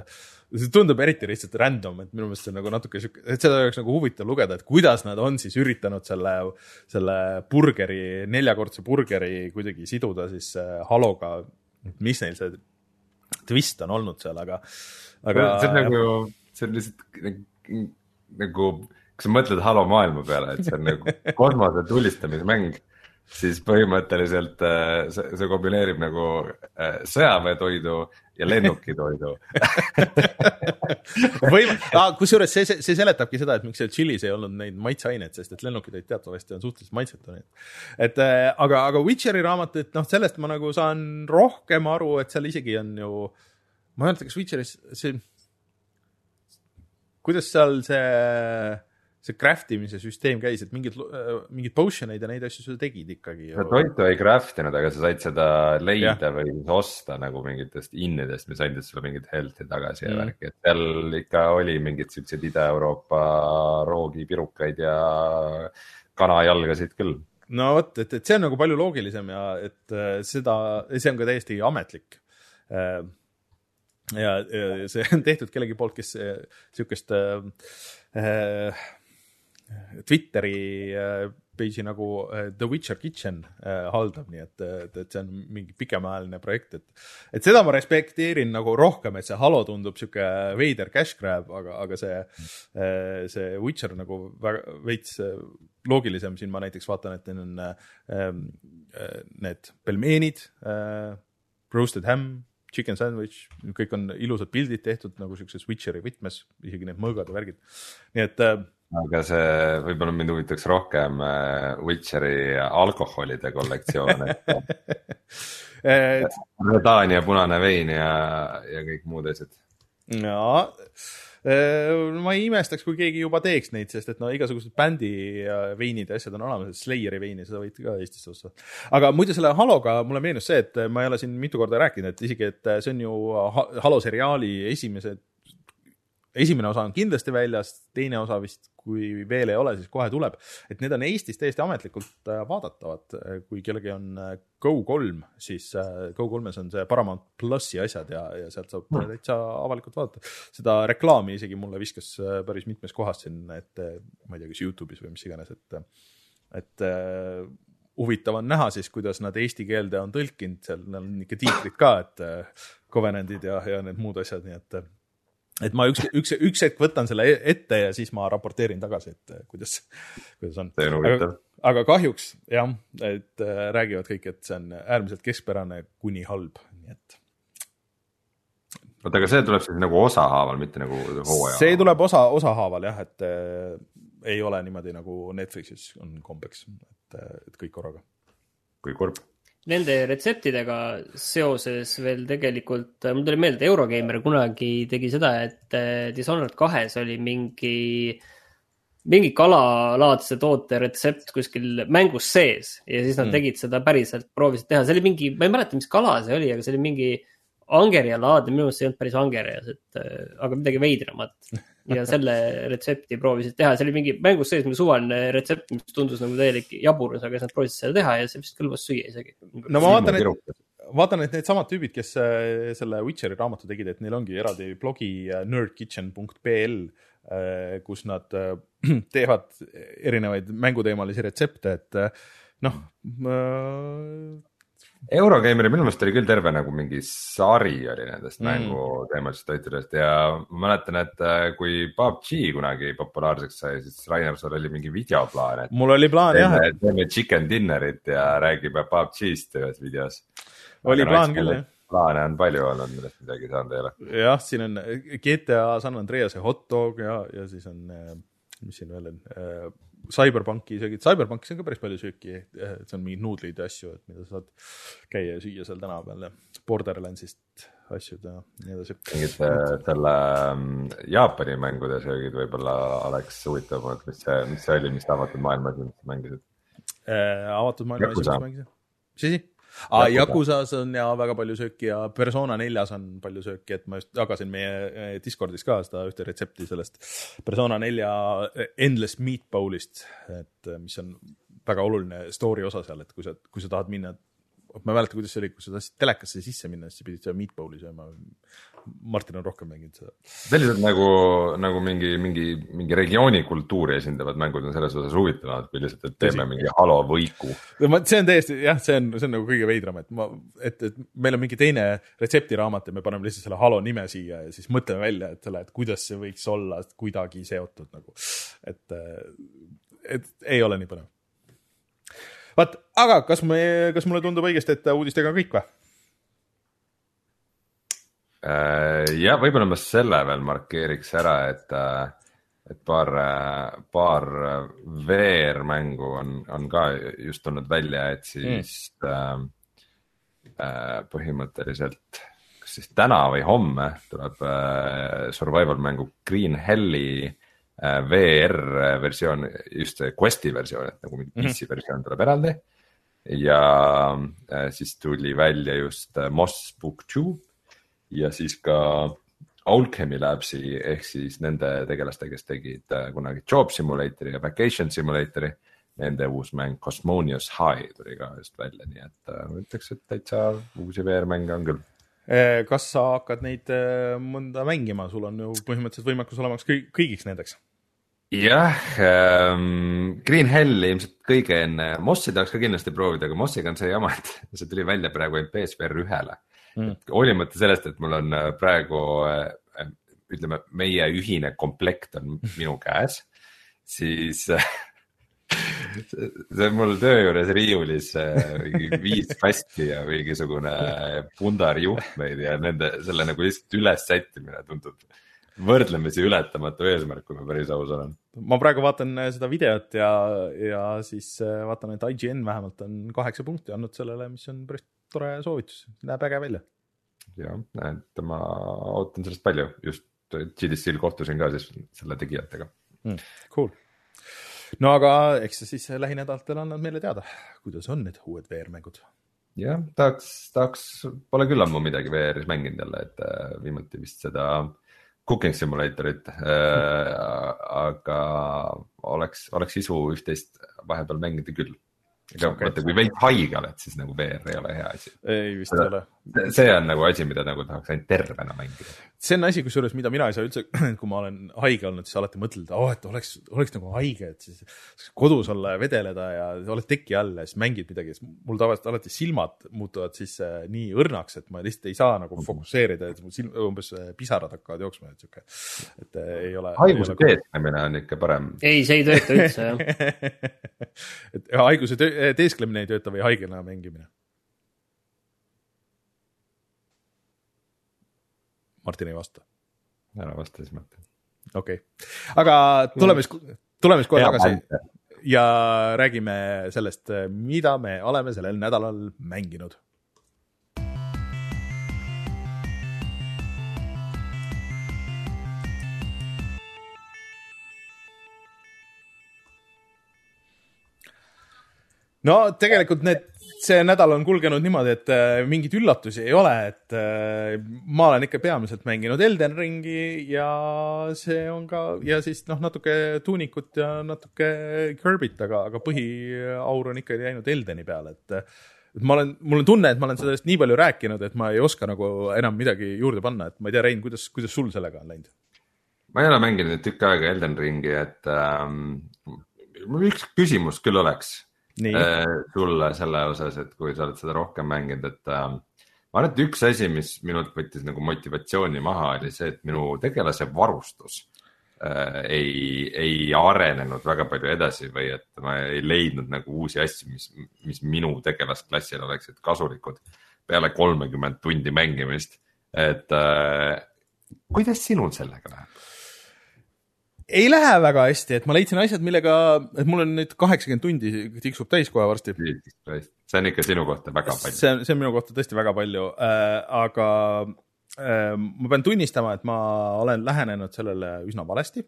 see tundub eriti lihtsalt random, et minu meelest see on nagu natuke, et seda oleks nagu huvitav lugeda, et kuidas nad on siis üritanud selle, selle burgeri, neljakordse burgeri kuidagi siduda siis Haloga, mis neil see twist on olnud seal, aga, aga see on nagu see on lihtsalt nagu, nagu, kui sa mõtled Halo maailma peale, et see on nagu kosmose tulistamismäng, siis põhimõtteliselt see, see kombineerib nagu sõjaväetoidu ja lennukitoidu. Või, kusjuures see, see, see seletabki seda, et miks seal chillis ei olnud neid maitseaineid, sest et lennukid teatavasti on suhteliselt maitsetu. Et, aga, aga Witcheri raamat, et noh, sellest ma nagu saan rohkem aru, et seal isegi on ju, ma ei mõelda, kas Witcheris see kuidas seal see, see craftimise süsteem käis, et mingid, mingid potioneid ja neid asju sa tegid ikkagi. Sa toitu ei craftinud, aga sa said seda leida ja. Või osta nagu mingitest innidest, mis andid sulle mingid health'i tagasi ja mm. värki. Et seal ikka oli mingid sellised Ida-Euroopa roogipirukaid ja kanajalgasid küll. No vot, et, et see on nagu palju loogilisem ja et seda, see on ka täiesti ametlik. Ja, ja see on tehtud kellegi poolt, kes sihukest äh, Twitteri äh, page'i nagu äh, The Witcher Kitchen äh, haldab, nii et, et, et see on mingi pikemaajaline projekt, et, et seda ma respekteerin nagu rohkem, et see Halo tundub sihuke veider cash grab, aga, aga see, äh, see Witcher nagu väga veits loogilisem, siin ma näiteks vaatan, et neil on äh, need pelmeenid, äh, roasted ham, chicken sandwich, kõik on ilusad pildid tehtud nagu sellises Witcheri võtmes, isegi need mõõgad ja värgid. Nii et... Aga see võib-olla mind huvitaks rohkem Witcheri alkoholide kollektsioon. et... Redaan ja punane vein ja, ja kõik muud asjad. No, ma ei imestaks, kui keegi juba teeks neid, sest et no igasugused bändi veinid ja asjad on olemas, Slayeri veini, seda võid ka Eestisse osta. Aga muidu selle Haloga mulle meenus see, et ma ei ole siin mitu korda rääkinud, et isegi, et see on ju Halo seriaali esimese, esimene osa on kindlasti väljas, teine osa vist, kui veel ei ole, siis kohe tuleb. Et need on Eestis täiesti ametlikult vaadatavad, kui kellegi on Go kolm, siis Go kolmes on see Paramount Plusi asjad ja, ja sealt saab mm. täitsa avalikult vaadata. Seda reklaami isegi mulle viskas päris mitmes kohas siin, et ma ei tea, kas YouTube'is või mis iganes, et, et huvitav on näha siis, kuidas nad eesti keelde on tõlkinud, seal on ikka tiitrid ka, et Covenantid ja, ja need muud asjad, nii et et ma üks, üks, üks hetk võtan selle ette ja siis ma raporteerin tagasi, et kuidas, kuidas on. Aga, aga kahjuks, jah, et räägivad kõik, et see on äärmiselt keskpärane kuni halb, nii et oota, aga see tuleb siis nagu osahaaval, mitte nagu hooaja? See tuleb osa, osahaaval jah, et äh, ei ole niimoodi nagu Netflixis on kombeks, et, et kõik korraga. Kui kurb. Nende retseptidega seoses veel tegelikult, mul tuli meelde, Eurogeimer kunagi tegi seda, et Dishonored kahes oli mingi, mingi kalalaadse toote retsept kuskil mängus sees ja siis nad mm. tegid seda päriselt, proovisid teha. See oli mingi, ma ei mäleta, mis kala see oli, aga see oli mingi angerja laadne, minu meelest see ei olnud päris angerjas, et, aga midagi veidramat. Ja selle retsepti proovisid teha. See oli mingi mängus sees mingi suvaline retsept, mis tundus nagu täielik jaburus, aga nad proovisid seda teha ja see vist kõlbas süüa isegi. No ma vaatan, et, vaatan, et need samad tüübid, kes selle Witcheri raamatu tegid, et neil ongi eraldi blogi nerdkitchen punkt b l, kus nad teevad erinevaid mänguteemalisi retsepte, et noh, Eurogeimeri minu meelest oli küll terve nagu mingi sari oli nendest mm. mänguteemalisest toitudest ja ma mäletan, et kui P U B G kunagi populaarseks sai, siis Rainer, sul oli mingi videoplaan. Mul oli plaan teeme, jah. Teeme chicken dinnerit ja räägime P U B G-st ühes videos. Oli Aga plaan küll jah. Plaane on palju olnud, millest midagi saanud ei ole. Jah, siin on G T A San Andrease hot dog ja, ja siis on, mis siin veel on, Cyberpunki söögid. Cyberpunkis on ka päris palju sööki, et see on mingid nuudlid ja asju, et mida saad käia ja süüa seal täna peal ja Borderlandsist asjud ja nii edasi. Mingid selle Jaapani mängude söögid võib-olla oleks huvitav, mis see, mis see oli, mis avatud maailmas mängisid? Äh, avatud maailmas mängisid? Mis asi? Ah, Yakusas on ja väga palju sööki ja Persona neljas on palju sööki, et ma just jagasin meie Discordis ka seda ühte retsepti sellest Persona nelja Endless Meatbowlist, et mis on väga oluline story osa seal, et kui sa, kui sa tahad minna, ma ei mäleta, kuidas see oli, kui sa tahtsid telekasse sisse minna, siis pidid seda meatbowli sööma. Martin on rohkem mänginud seda. Sellised nagu, nagu mingi, mingi, mingi regiooni kultuuri esindavad mängud on selles osas huvitavad, kui lihtsalt, et teeme Tõsi. Mingi halo võiku. See on täiesti, jah, see on, see on nagu kõige veidram, et, ma, et, et meil on mingi teine retseptiraamat ja me paneme lihtsalt selle halo nime siia ja siis mõtleme välja, et, selle, et kuidas see võiks olla kuidagi seotud nagu, et, et ei ole nii põnev. Vaat, aga kas, me, kas mulle tundub õigesti, et uudistega on kõik või? Ja võib-olla ma selle veel markeeriks ära, et, et paar, paar V R-mängu on, on ka just tulnud välja, et siis mm. äh, põhimõtteliselt kas siis täna või homme tuleb äh, survival mängu Green Helli äh, V R-versioon, just Questi versioon, et nagu mingi P C versioon tuleb eraldi ja äh, siis tuli välja just äh, Moss Book two ja siis ka Alchemy Labsi ehk siis nende tegelaste, kes tegid kunagi Job Simulatori ja Vacation Simulatori, nende uus mäng Cosmonius High tuli ka just välja, nii et ma ütleks, et täitsa uusi V R-mänge on küll. Kas sa hakkad neid mõnda mängima? Sul on ju põhimõtteliselt võimekus olemaks kõigiks nendeks. Jah, ähm, Green Hell ilmselt kõige enne, Mossi tahaks ka kindlasti proovida, aga Mossiga on see jama, et see tuli välja praegu P S V R ühele. Mm. Hoolimata sellest, et mul on praegu, ütleme, meie ühine komplekt on minu käes, siis see on mul töö juures riiulis viis kasti ja mingisugune pundar juhtmeid ja nende, selle nagu lihtsalt üles sättimine tundub võrdlemisi ületamatu eesmärk, kui ma päris aus olen. Ma praegu vaatan seda videot ja, ja siis vaatan, et I G N vähemalt on kaheksa punkti andnud sellele, mis on päris tore soovitus. Näeb äge välja. Ja, et ma ootan sellest palju. Just G D C-l kohtusin ka siis selle tegijatega. Mm, cool. No aga eks siis lähinädalatel annad meile teada, kuidas on need uued V R-mängud. Jah, tahaks, tahaks, pole küll ammu midagi V R-is mänginud jälle, et viimati vist seda Cooking Simulatorit, äh, aga oleks, oleks isu üht-teist vahepeal mängida küll. Aga okay. Mõte, kui veid haige oled, siis nagu V R ei ole hea asi. Ei, vist ei ole. See on nagu asi, mida nagu tahaks ainult tervena mängida. See on asi, kusjuures, mida mina ei saa üldse, kui ma olen haige olnud, siis alati mõtled, oh, et oleks, oleks nagu haige, et siis kodus olla ja vedeleda ja oled teki all ja siis mängid midagi. Mul tavaliselt alati silmad muutuvad siis nii õrnaks, et ma lihtsalt ei saa nagu fokusseerida, et silm, umbes pisarad hakkavad jooksma. Et, siuke, et ei ole... Haiguse teesklemine on ikka parem. Ei, see ei tööta üldse, jah. et haiguse teesklemine ei tööta või haigena mängimine? Martin ei vasta. ära vasta siis Martin. Okei okay., aga tuleme siis, tuleme siis kohe tagasi ja räägime sellest, mida me oleme sellel nädalal mänginud. No tegelikult need, see nädal on kulgenud niimoodi, et äh, mingid üllatusi ei ole, et äh, ma olen ikka peamiselt mänginud Elden Ringi ja see on ka, ja siis noh, natuke Tuunikut ja natuke Kirbyt, aga, aga põhiaur on ikka jäänud Eldeni peale, et, et ma olen, mul on tunne, et ma olen sellest nii palju rääkinud, et ma ei oska nagu enam midagi juurde panna, et ma ei tea, Rein, kuidas, kuidas sul sellega on läinud? Ma ei ole mänginud tükk aega Elden Ringi, et ähm, mul üks küsimus küll oleks. Nii. Sulle selle osas, et kui sa oled seda rohkem mänginud, et äh, ma arvan, et üks asi, mis minult võttis nagu motivatsiooni maha, oli see, et minu tegelase varustus äh, ei, ei arenenud väga palju edasi või et ma ei leidnud nagu uusi asju, mis, mis minu tegelasklassil oleksid kasulikud peale kolmekümmend tundi mängimist. Et äh, kuidas sinul sellega läheb? Ei lähe väga hästi, et ma leidsin asjad, millega, et mul on nüüd kaheksakümmend tundi tiksub täis kohe varsti. See on ikka sinu kohta väga palju. See on, see on minu kohta tõesti väga palju, äh, aga äh, ma pean tunnistama, et ma olen lähenenud sellele üsna valesti.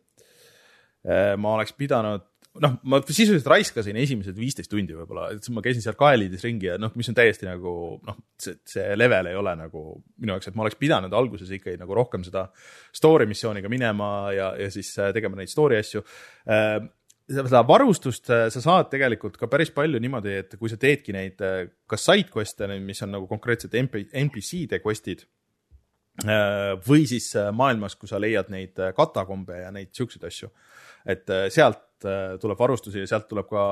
Äh, ma oleks pidanud, noh, ma sisuliselt raiskasin esimesed viisteist tundi võib-olla, et ma käisin seal kaelides ringi ja noh, mis on täiesti nagu, noh, see, see level ei ole nagu minu jaoks, et ma oleks pidanud alguses ikkagi nagu rohkem seda story missiooniga minema ja, ja siis tegema neid story asju. Seda varustust sa saad tegelikult ka päris palju niimoodi, et kui sa teedki neid kas side quest'e, mis on nagu konkreetselt N P C-de quest'id või siis maailmas, kui sa leiad neid katakombe ja neid siukseid asju, et sealt tuleb varustusi ja sealt tuleb ka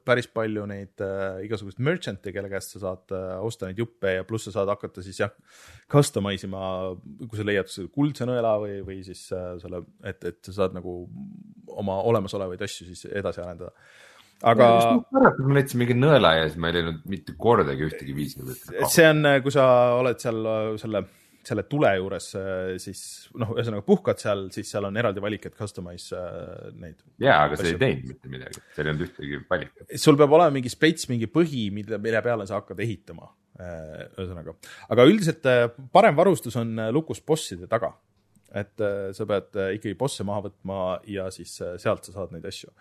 päris palju neid igasugust merchant'e, kelle käest sa saad osta neid juppe ja pluss sa saad hakata siis jah, customize ima, kui sa leiad kuldse nõela või, või siis selle, et, et sa saad nagu oma olemasolevaid asju siis edasi arendada. Aga ma leidsin mingi nõela ja siis ma ei leidnud mitte kordagi ühtegi viisi. See on, kui sa oled seal selle selle tule juures, siis noh, ühesõnaga puhkad seal, siis seal on eraldi valik, et customize neid. Jaa, aga see ei teinud mitte midagi. Seal ei olnud ühtegi valik. Sul peab olema mingi spets, mingi põhi, mille, mille peale sa hakkad ehitama. Ühesõnaga. Aga üldiselt parem varustus on lukus bosside taga. Et sa pead ikkagi bosse maha võtma ja siis sealt sa saad neid asju.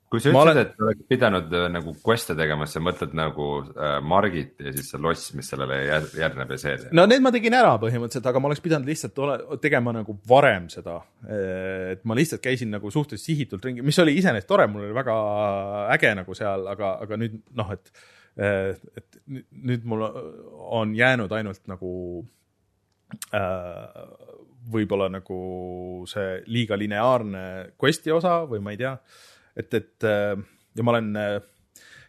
Kui sa ütlesid, olen... et oleks pidanud nagu quest'e tegema, sa mõtled nagu äh, Margit ja siis see loss, mis sellele järgneb ja see. No need ma tegin ära põhimõtteliselt, aga ma oleks pidanud lihtsalt ole, tegema nagu varem seda. Et ma lihtsalt käisin nagu suhteliselt sihitult ringi, mis oli iseenesest tore, mul oli väga äge nagu seal, aga, aga nüüd noh, et, et nüüd mul on jäänud ainult nagu äh, võib-olla nagu see liiga lineaarne quest'i osa või ma ei tea. Et, et ja ma olen,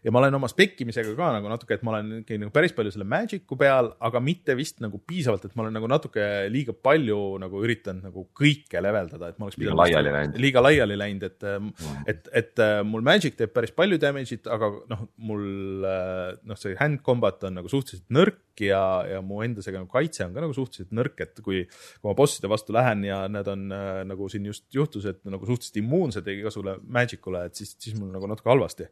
ja ma olen oma spekkimisega ka nagu natuke, et ma olen nagu päris palju selle Magicu peal, aga mitte vist nagu piisavalt, et ma olen nagu natuke liiga palju nagu üritanud nagu kõike leveldada, et ma oleks liiga laiali läinud, liiga laiali läinud, et, mm. et, et mul Magic teeb päris palju damage'it, aga noh, mul noh, see hand combat on nagu suhteliselt nõrk ja, ja mu endasega nagu kaitse on ka nagu suhteliselt nõrk, et kui, kui ma bosside vastu lähen ja need on nagu siin just juhtus, et nagu suhteliselt immuunsed igasugule Magicule, et siis, siis mul nagu natuke halvasti.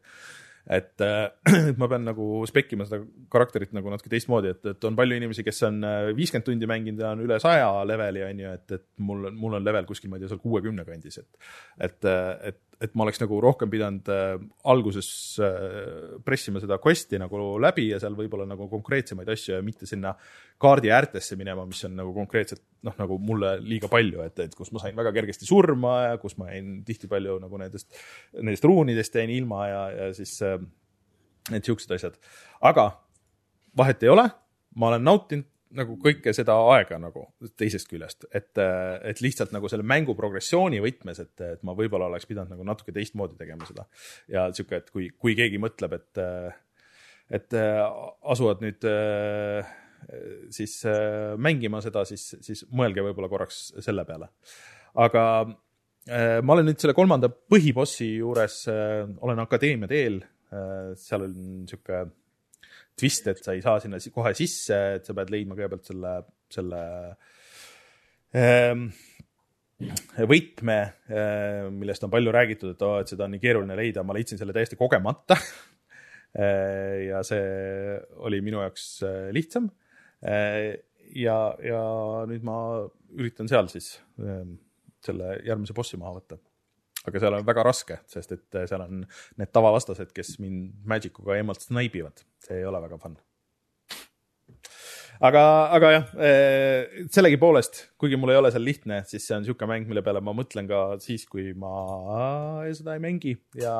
Et, et ma pean nagu spekkima seda karakterit nagu natuke teistmoodi, et, et on palju inimesi, kes on viiskümmend tundi mänginud ja on üle saja leveli, on ju, et, et mul, mul on level kuskil, ma ei tea, seal kuuekümne kandis, et, et, et, et ma oleks nagu rohkem pidanud äh, alguses äh, pressima seda quest'i nagu läbi ja seal võib-olla nagu konkreetsemaid asju ja mitte sinna kaardi äärtesse minema, mis on nagu konkreetselt noh, nagu mulle liiga palju, et, et kus ma sain väga kergesti surma ja kus ma jäin tihti palju nagu nendest, nendest ruunidest jäin ilma ja, ja siis äh, need siuksed asjad. Aga vahet ei ole, ma olen nautinud nagu kõike seda aega nagu teisest küljest, et, et lihtsalt nagu selle mängu progressiooni võtmes, et, et ma võib-olla oleks pidanud nagu natuke teistmoodi tegema seda. Ja siuke, et kui, kui keegi mõtleb, et, et asuvad nüüd siis mängima seda, siis, siis mõelge võib-olla korraks selle peale. Aga ma olen nüüd selle kolmanda põhibossi juures, olen akadeemia teel, seal on siuke twist, et sa ei saa sinna kohe sisse, et sa pead leidma kõigepealt selle selle ähm, võtme, millest on palju räägitud, et, oh, et seda on nii keeruline leida, ma leidsin selle täiesti kogemata ja see oli minu jaoks lihtsam ja, ja nüüd ma üritan seal siis selle järgmise bossi maha võtta. Aga seal on väga raske, sest et seal on need tavavastased, kes mind Magicuga eemalt snaibivad. See ei ole väga fun. Aga, aga jah, sellegi poolest, kuigi mul ei ole seal lihtne, siis see on siuke mäng, mille peale ma mõtlen ka siis, kui ma seda ei mängi ja,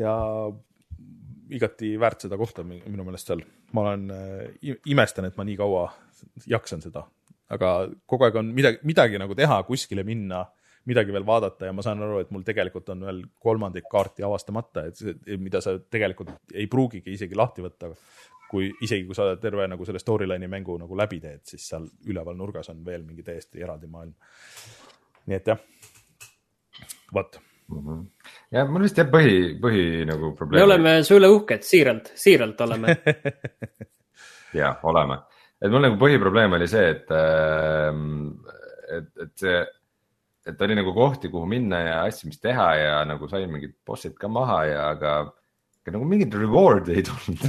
ja igati väärt seda kohta minu meelest seal. Ma olen imestan, et ma nii kaua jaksan seda, aga kogu aeg on midagi, midagi nagu teha, kuskile minna, midagi veel vaadata ja ma saan aru, et mul tegelikult on veel kolmandik kaarti avastamata, et mida sa tegelikult ei pruugigi isegi lahti võtta, kui isegi kui sa terve nagu selle storyline'i mängu nagu läbi teed, siis seal üleval nurgas on veel mingi täiesti eraldi maailm. Nii et jah, võt. Mm-hmm. Ja mul vist jah põhi, põhi nagu probleem. Me oleme su üle uhked, siiralt, siiralt oleme. ja, oleme. Et mul nagu põhiprobleem oli see, et, et, et see et oli nagu kohti, kuhu minna ja asju, mis teha ja nagu sain mingid bossid ka maha ja aga, aga nagu mingid reward ei tulnud.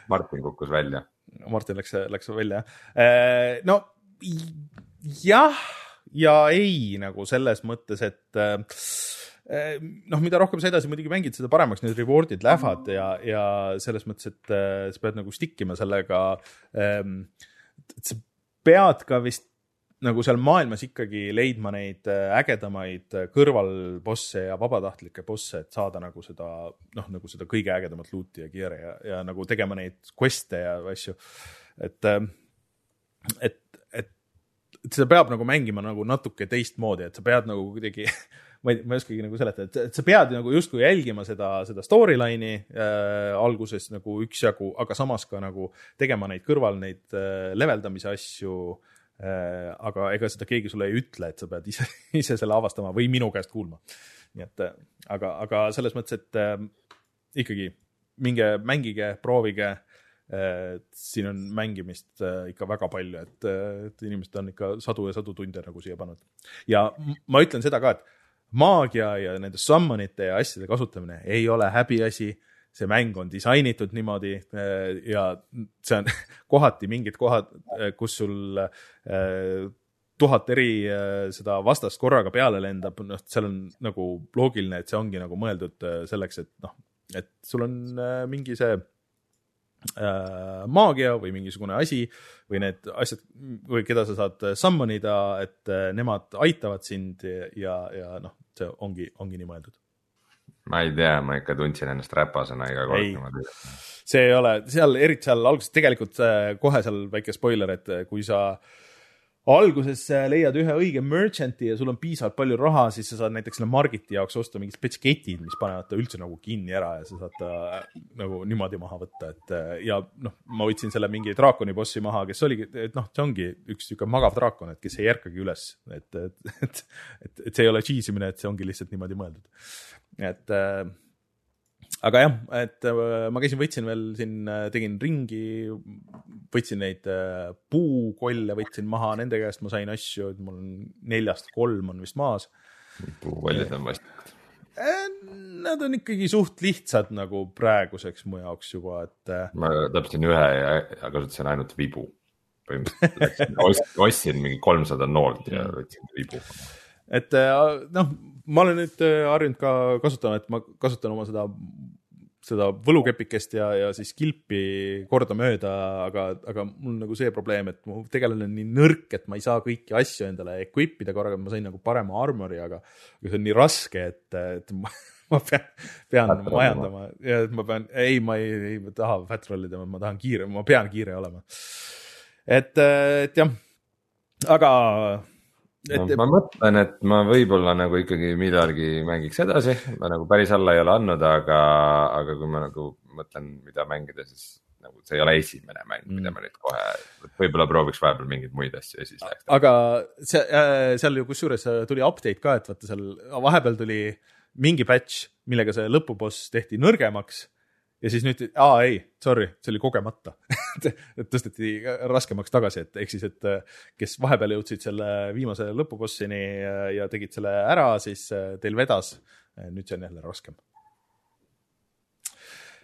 Martin kukkus välja. Martin läks, läks välja. No jah ja ei nagu selles mõttes, et noh, mida rohkem sa edasi muidugi mängid, seda paremaks need rewardid lähevad ja, ja selles mõttes, et sa pead nagu stikkima sellega, et sa pead ka vist nagu seal maailmas ikkagi leidma neid ägedamaid kõrvalbosse ja vabatahtlikke bosse, et saada nagu seda, noh, nagu seda kõige ägedamat looti ja gear'i ja, ja nagu tegema neid queste ja asju. Et, et, et, et seda peab nagu mängima nagu natuke teistmoodi, et sa pead nagu kuidagi, ma ei, ma ei oskagi nagu seleta, et, et sa pead nagu justkui jälgima seda, seda storyline'i äh, alguses nagu üksjagu, aga samas ka nagu tegema neid kõrval neid äh, leveldamise asju, aga ega seda keegi sulle ei ütle, et sa pead ise, ise selle avastama või minu käest kuulma. Nii et, aga, aga selles mõttes, et äh, ikkagi minge mängige, proovige, äh, siin on mängimist äh, ikka väga palju, et, et inimesed on ikka sadu ja sadu tunde nagu siia pannud. Ja ma ütlen seda ka, et maagia ja nende summonite ja asjade kasutamine ei ole häbiasi. See mäng on disainitud niimoodi ja see on kohati mingid kohad, kus sul tuhat eri seda vastast korraga peale lendab, noh, seal on nagu loogiline, et see ongi nagu mõeldud selleks, et noh, et sul on mingi see maagia või mingisugune asi või need asjad, või keda sa saad summonida, et nemad aitavad sind ja, ja noh, see ongi, ongi nii mõeldud. Ma ei tea, ma ikka tundsin ennast räpasena iga kord. See ei ole, seal eriti seal alguses tegelikult kohe seal väike spoiler, et kui sa alguses leiad ühe õige merchanti ja sul on piisavalt palju raha, siis sa saad näiteks selle margiti jaoks osta mingid spetsketid, mis panevad ta üldse nagu kinni ära ja sa saad ta nagu niimoodi maha võtta. Et, ja noh, ma võtsin selle mingi draakoni bossi maha, kes oligi, et noh, see ongi üks siuke magav draakon, et kes ei järkagi üles. Et, et, et, et, et see ei ole cheesimine, et see ongi lihtsalt niimoodi mõeldud. Et, äh, aga jah, et äh, ma käisin, võtsin veel siin, tegin ringi, võtsin neid äh, puukolle, võtsin maha, nende käest ma sain asju, et mul on neljast kolm on vist maas. Puukollid on vastikud. Nad on ikkagi suht lihtsad nagu praeguseks mu jaoks juba, et äh, ma täpsin ühe ja kasutasin ainult vibu. Ostsin mingi kolmsada noolt ja võtsin vibu. Et noh, ma olen nüüd harjunud ka kasutama, et ma kasutan oma seda, seda võlukepikest ja, ja siis kilpi korda mööda, aga, aga mul on nagu see probleem, et mu tegelane on nii nõrk, et ma ei saa kõiki asju endale equipida korraga, ma sain nagu parema armori, aga see on nii raske, et, et ma, ma pean, pean majandama ja ma pean, ei, ma ei, ei ma taha fat rollida, ma tahan kiire, ma pean kiire olema. Et, et jah, aga Et, no, ma mõtlen, et ma võib-olla nagu ikkagi midagi mängiks edasi, ma nagu päris alla ei ole andnud, aga, aga kui ma nagu mõtlen, mida mängida, siis nagu see ei ole esimene mäng, mm. mida ma nüüd kohe, võib-olla prooviks vahepeal mingeid muid asju ja siis läheks. Aga see, seal ju kusjuures tuli update ka, et vaata seal vahepeal tuli mingi patch, millega see lõpuboss tehti nõrgemaks ja siis nüüd, aa ei, sorry, see oli kogemata et tõsteti raskemaks tagasi, et ehk siis, et kes vahepeal jõudsid selle viimase lõpubossini ja tegid selle ära, siis teil vedas, nüüd see on jälle raskem.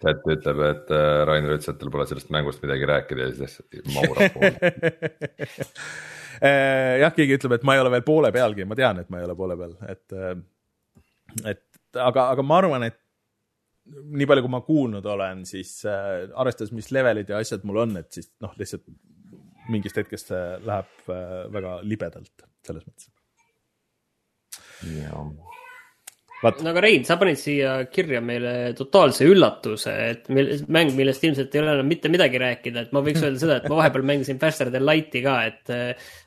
Chat ütleb, et Rainer ütles, et tal pole sellest mängust midagi rääkida ja siis maurab poole. Jah, keegi ütleb, et ma ei ole veel poole pealgi, ma tean, et ma ei ole poole peal, et, et aga, aga ma arvan, et nii palju, kui ma kuulnud olen, siis äh, arvestades, mis levelid ja asjad mul on, et siis noh, lihtsalt mingist hetkest läheb äh, väga libedalt selles mõttes. Jaa. Vaat. No aga Rein, sa panid siia kirja meile totaalse üllatuse, et mäng, millest ilmselt ei ole enam mitte midagi rääkida, et ma võiks öelda seda, et ma vahepeal mängisin Faster Than Lighti ka, et,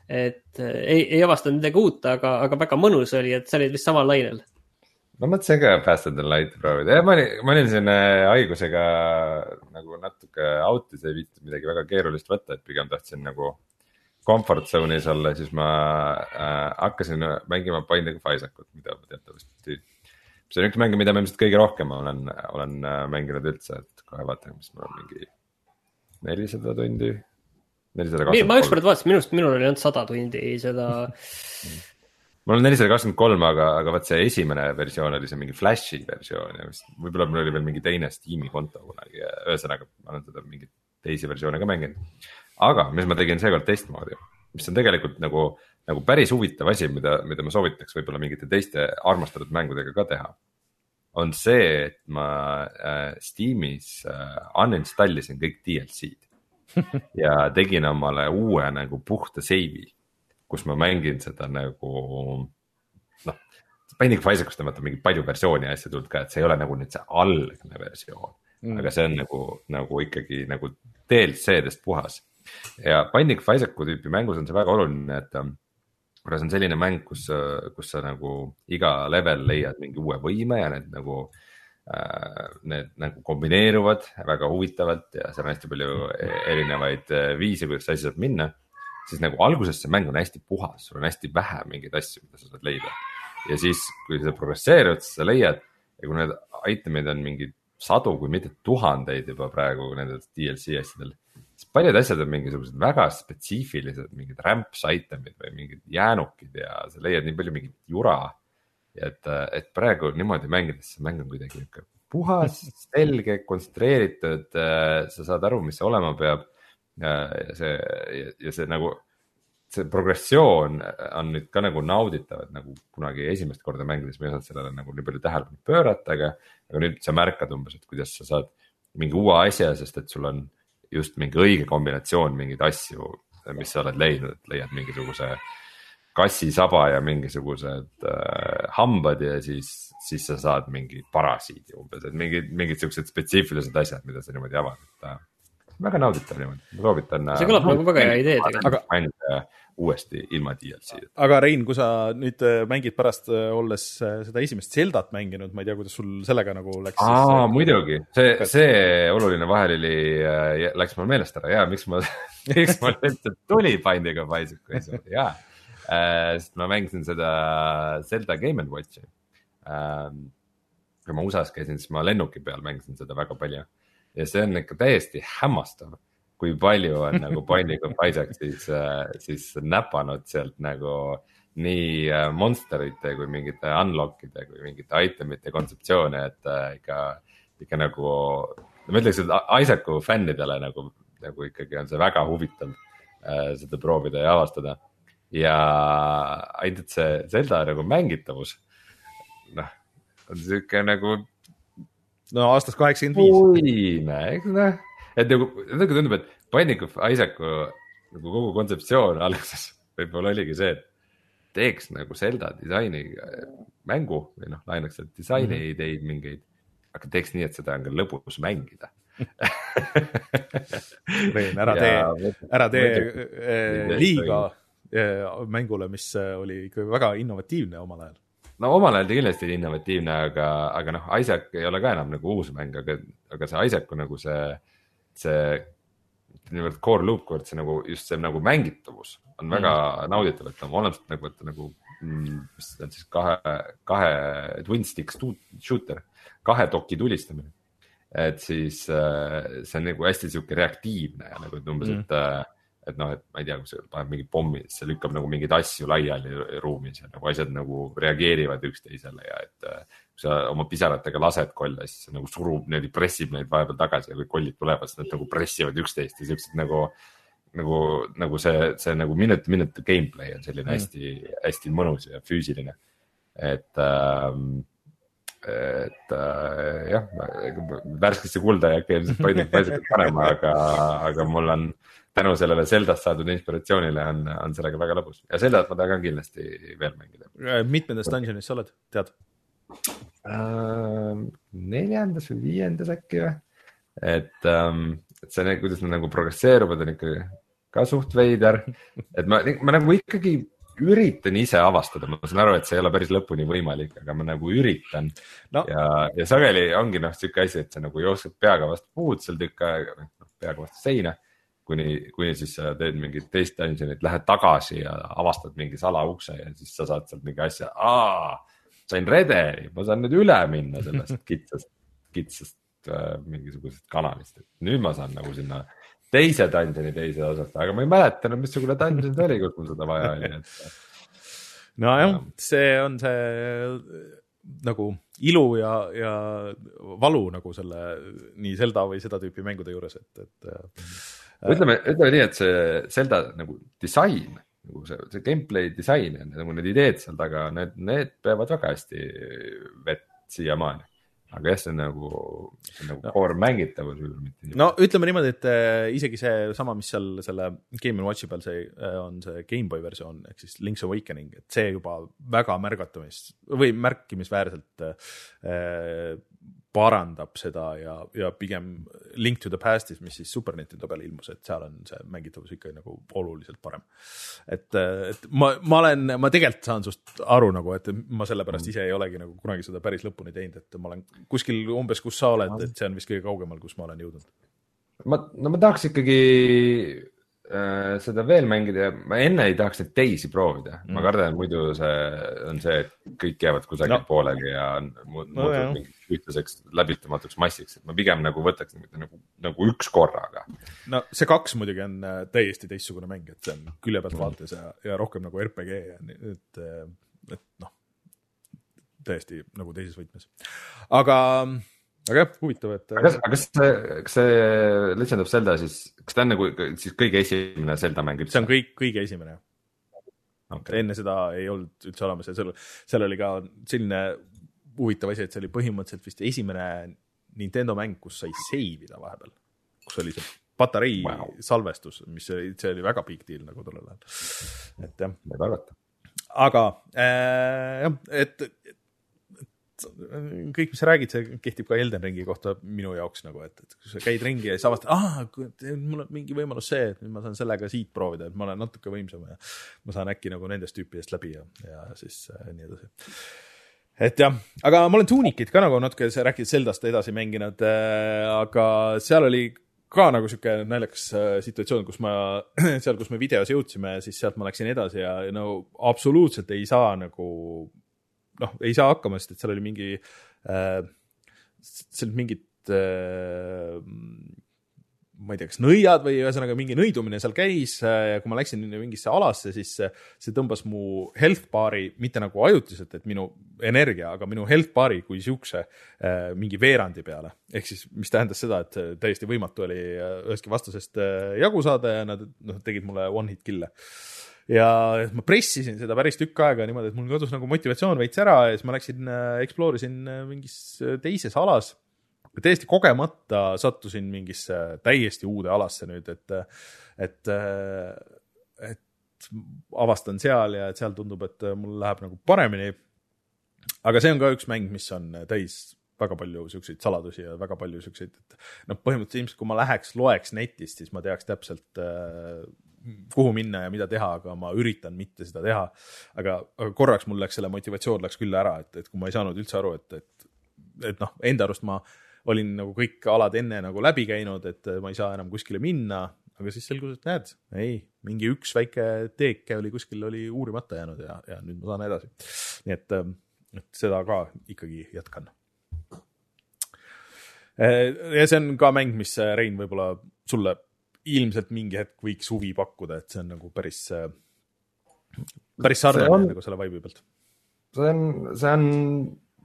et ei, ei avastanud midagi uut, aga, aga väga mõnus oli, et sa olid vist samal lainel. Ma mõtlesin ka Faster Than Light proovida. Ma olin, ma olin siin haigusega nagu natuke autis, ei viitud midagi väga keerulist võtta, et pigem tahtsin nagu comfort zone'is olla, siis ma äh, hakkasin mängima Binding of Isaac'ut, mida ma teatavasti. See on üks mäng, mida ma ilmselt kõige rohkem olen, olen mänginud üldse, et kohe vaatan, mis mul on mingi nelisada tundi. nelisada kakskümmend kolm. Ma ükskord vaatasin, minust, minul oli ainult sada tundi seda... Mul on nelisada kakskümmend kolm, aga, aga vaat see esimene versioon oli see mingi Flashi versioon ja vist, võib-olla mul oli veel mingi teine Steam'i konto kunagi ja ühesõnaga ma olen seda mingi teisi versioone ka mänginud. Aga mis ma tegin seekord testmoodi, mis on tegelikult nagu, nagu päris huvitav asi, mida, mida ma soovitaks võib-olla mingite teiste armastatud mängudega ka teha, on see, et ma äh, Steam'is äh, uninstallisin kõik D L C-d ja tegin omale uue nagu puhta seivi, kus ma mängin seda nagu, noh, Binding of Isaac'ust on mingi palju versiooni asja tulnud ka, et see ei ole nagu nüüd see algne versioon, mm. aga see on nagu, nagu ikkagi nagu D L C-dest puhas. Ja Binding of Isaac'u tüüpi mängus on see väga oluline, et kuna see on selline mäng, kus, kus sa nagu iga level leiad mingi uue võime ja need nagu, äh, need nagu kombineeruvad väga huvitavalt ja seal on hästi palju erinevaid viise, kuidas asi saab minna. Siis nagu alguses see mäng on hästi puhas, sul on hästi vähe mingeid asju, mida sa saad leida. Ja siis, kui sa progresseerud, siis sa leiad ja kui need itemid on mingi sadu, kui mitte tuhandeid juba praegu nende D L C asjadel, siis paljud asjad on mingisugused väga spetsiifilised, mingid ramps itemid või mingid jäänukid ja sa leiad nii palju mingit jura. Ja et, et praegu niimoodi mängides see mäng on kuidagi puhas, selge, kontsentreeritud, sa saad aru, mis see olema peab. Ja see, ja see nagu, see progressioon on nüüd ka nagu nauditav, et nagu kunagi esimest korda mängides me ei saanud sellele nagu nii palju tähelepanu pöörata, aga, aga nüüd sa märkad umbes, et kuidas sa saad mingi uue asja, sest et sul on just mingi õige kombinatsioon mingeid asju, mis sa oled leidnud, et leiad mingisuguse kassisaba ja mingisugused äh, hambad ja siis, siis sa saad mingi parasiidi umbes, et mingid, mingid sellised spetsiifilised asjad, mida sa niimoodi avad, et väga nauditav niimoodi, ma soovitan. See kõlab nagu väga hea idee tegelikult. Aga uuesti ilma D L C-d. Aga Rein, kui sa nüüd mängid pärast olles seda esimest Zeldat mänginud, ma ei tea, kuidas sul sellega nagu läks. Aa, siis, muidugi, see, see oluline vahelili läks mul meelest ära, jaa, miks ma, miks ma üldse tuli Binding of Isaac, jaa, sest ma mängisin seda Zelda Game and Watchi. Kui ma U S A-s käisin, siis ma lennuki peal mängisin seda väga palju. Ja see on ikka täiesti hämmastav, kui palju on nagu Binding of Isaac siis, siis näpanud sealt nagu nii monsterite kui mingite unlockide kui mingite itemite kontseptsioone, et ikka, ikka nagu, ma ütleks, et Isaacu fännidele nagu, nagu ikkagi on see väga huvitav äh, seda proovida ja avastada. Ja ainult see Zelda nagu mängitavus, noh, on siuke nagu no aastast kaheksakümmend viis. Uine, eks noh. Et nagu, nagu tundub, et Binding of Isaacu nagu kogu kontseptsioon alguses võib-olla oligi see, et teeks nagu Zelda disaini mängu või noh, lainaks sealt disaini mm-hmm. ideid mingeid, aga teeks nii, et seda on ka lõbus mängida. Rein, ära tee, ära tee liiga mängule, mis oli ikka väga innovatiivne omal ajal. No omal ajal ta kindlasti innovatiivne, aga, aga noh, Isaac ei ole ka enam nagu uus mäng, aga, aga see Isaacu nagu see, see niivõrd core loop, kord see nagu just see nagu mängitavus on väga mm. nauditav, et on olemas nagu, et nagu, mis on siis kahe, kahe twin stick shooter, kahe doki tulistamine. et siis äh, see on nagu hästi sihuke reaktiivne ja nagu umbes mm., et et noh, et ma ei tea, kui see paneb mingi pommi, see lükkab nagu mingeid asju laiali ruumis ja nagu asjad nagu reageerivad üksteisele ja et kui sa oma pisaratega lased kolle, siis see nagu surub, niimoodi pressib neid vahepeal tagasi ja kui kollid tulevad, siis nad nagu pressivad üksteist ja siuksed nagu, nagu, nagu see, see nagu minut minut gameplay on selline mm. hästi, hästi mõnus ja füüsiline. Et, ähm, et äh, jah, värskesse kulda ja äkki ilmselt paisakalt panema, aga, aga mul on tänu sellele Zeldast saadud inspiratsioonile on, on sellega väga lõbus ja Zeldat ma tahan kindlasti veel mängida. Mitmendas dungeonis sa oled, tead? Uh, neljandas või viiendas äkki või? Et, um, et see, kuidas nad nagu progresseeruvad, on ikkagi ka suht veider. Et ma, ma nagu ikkagi üritan ise avastada, ma saan aru, et see ei ole päris lõpuni võimalik, aga ma nagu üritan no. ja, ja sageli ongi noh, siuke asi, et sa nagu jooksed peaga vastu puud seal tükk aega, peaga vastu seina. Kuni, kuni siis sa teed mingit teist dungeonit, lähed tagasi ja avastad mingi salaukse ja siis sa saad sealt mingi asja. Aa, sain rederi, ma saan nüüd üle minna sellest kitsast, kitsast äh, mingisugusest kanalist. Et nüüd ma saan nagu sinna teise dungeoni teise osast, aga ma ei mäleta, missugune dungeon oli, kus mul seda vaja oli. Et... No jah, see on see nagu ilu ja, ja valu nagu selle nii Zelda või seda tüüpi mängude juures, et, et Ütleme, ütleme nii, et see Zelda nagu disain, nagu see, see gameplay disain ja nagu need ideed seal taga, need, need peavad väga hästi vett siiamaani. Aga jah, see on nagu, see on nagu no. core mängitavus. No ütleme niimoodi, et äh, isegi see sama, mis seal selle Game and Watchi peal see, äh, on see Game Boy versioon, ehk siis Link's Awakening, et see juba väga märgatamis või märkimisväärselt äh, parandab seda ja, ja pigem Link to the Pastis, mis siis Super Nintendo peal ilmus, et seal on see mängitavus ikka nagu oluliselt parem. Et, et ma, ma olen, ma tegelikult saan sust aru nagu, et ma sellepärast ise ei olegi nagu kunagi seda päris lõpuni teinud, et ma olen kuskil umbes, kus sa oled, et see on vist kõige kaugemal, kus ma olen jõudnud. Ma, no ma tahaks ikkagi äh, seda veel mängida ja ma enne ei tahaks neid teisi proovida. Mm. Ma kardan, muidu see on see, et kõik jäävad kusagil no. poolegi ja muutub no, mingi ühtlaseks läbitamatuks massiks, et ma pigem nagu võtaks nagu, nagu üks korraga. No see kaks muidugi on täiesti teistsugune mäng, et see on külje pealt vaates ja, ja rohkem nagu R P G ja et, et noh, täiesti nagu teises võtmes. Aga, aga jah, huvitav, et... Aga kas, aga kas see, kas see Legend of Zelda siis, kas ta on nagu siis kõige esimene Zelda mäng? See on kõik, kõige esimene. Okay. Enne seda ei olnud üldse olemas ja seal, seal oli ka selline huvitav asi, et see oli põhimõtteliselt vist esimene Nintendo mäng, kus sai seivida vahepeal, kus oli see patarei wow. salvestus, mis oli, see oli väga big deal nagu tollel ajal. Et jah. Aga äh, et, et kõik, mis sa räägid, see kehtib ka Elden Ringi kohta minu jaoks nagu, et, et kui sa käid ringi ja siis avastad, ah, mul on mingi võimalus see, et ma saan sellega siit proovida, et ma olen natuke võimsam ja ma saan äkki nagu nendest tüüpidest läbi ja, ja siis äh, nii edasi. Et jah, aga ma olen Tunikit ka nagu natuke rääkinud Zeldast edasi mänginud, äh, aga seal oli ka nagu siuke naljakas äh, situatsioon, kus ma, seal, kus me videos jõudsime, siis sealt ma läksin edasi ja no absoluutselt ei saa nagu, noh, ei saa hakkama, sest et seal oli mingi, äh, seal mingid äh, ma ei tea, kas nõiad või ühesõnaga mingi nõidumine seal käis ja kui ma läksin mingisse alasse, siis see tõmbas mu health bar'i mitte nagu ajutiselt, et minu energia, aga minu health bar'i kui siukse mingi veerandi peale. Ehk siis, mis tähendas seda, et täiesti võimatu oli üheski vastasest jagu saada ja nad no, tegid mulle one hit kill'e. Ja ma pressisin seda päris tükk aega niimoodi, et mul kadus nagu motivatsioon veits ära ja siis ma läksin, exploorisin mingis teises alas. Täiesti kogemata sattusin mingisse täiesti uude alasse nüüd, et, et, et avastan seal ja et seal tundub, et mul läheb nagu paremini. Aga see on ka üks mäng, mis on täis väga palju siukseid saladusi ja väga palju siukseid, et no põhimõtteliselt ilmselt, kui ma läheks, loeks netist, siis ma teaks täpselt, kuhu minna ja mida teha, aga ma üritan mitte seda teha. Aga, aga korraks mul läks selle motivatsioon läks küll ära, et, et kui ma ei saanud üldse aru, et, et, et noh, enda arust ma olin nagu kõik alad enne nagu läbi käinud, et ma ei saa enam kuskile minna, aga siis selgus, et näed, ei, mingi üks väike teeke oli kuskil oli uurimata jäänud ja, ja nüüd ma saan edasi. Nii et, et seda ka ikkagi jätkan. ja see on ka mäng, mis Rein võib-olla sulle ilmselt mingi hetk võiks huvi pakkuda, et see on nagu päris, päris sarnane on, nagu selle vibe'i pealt. See on, see on,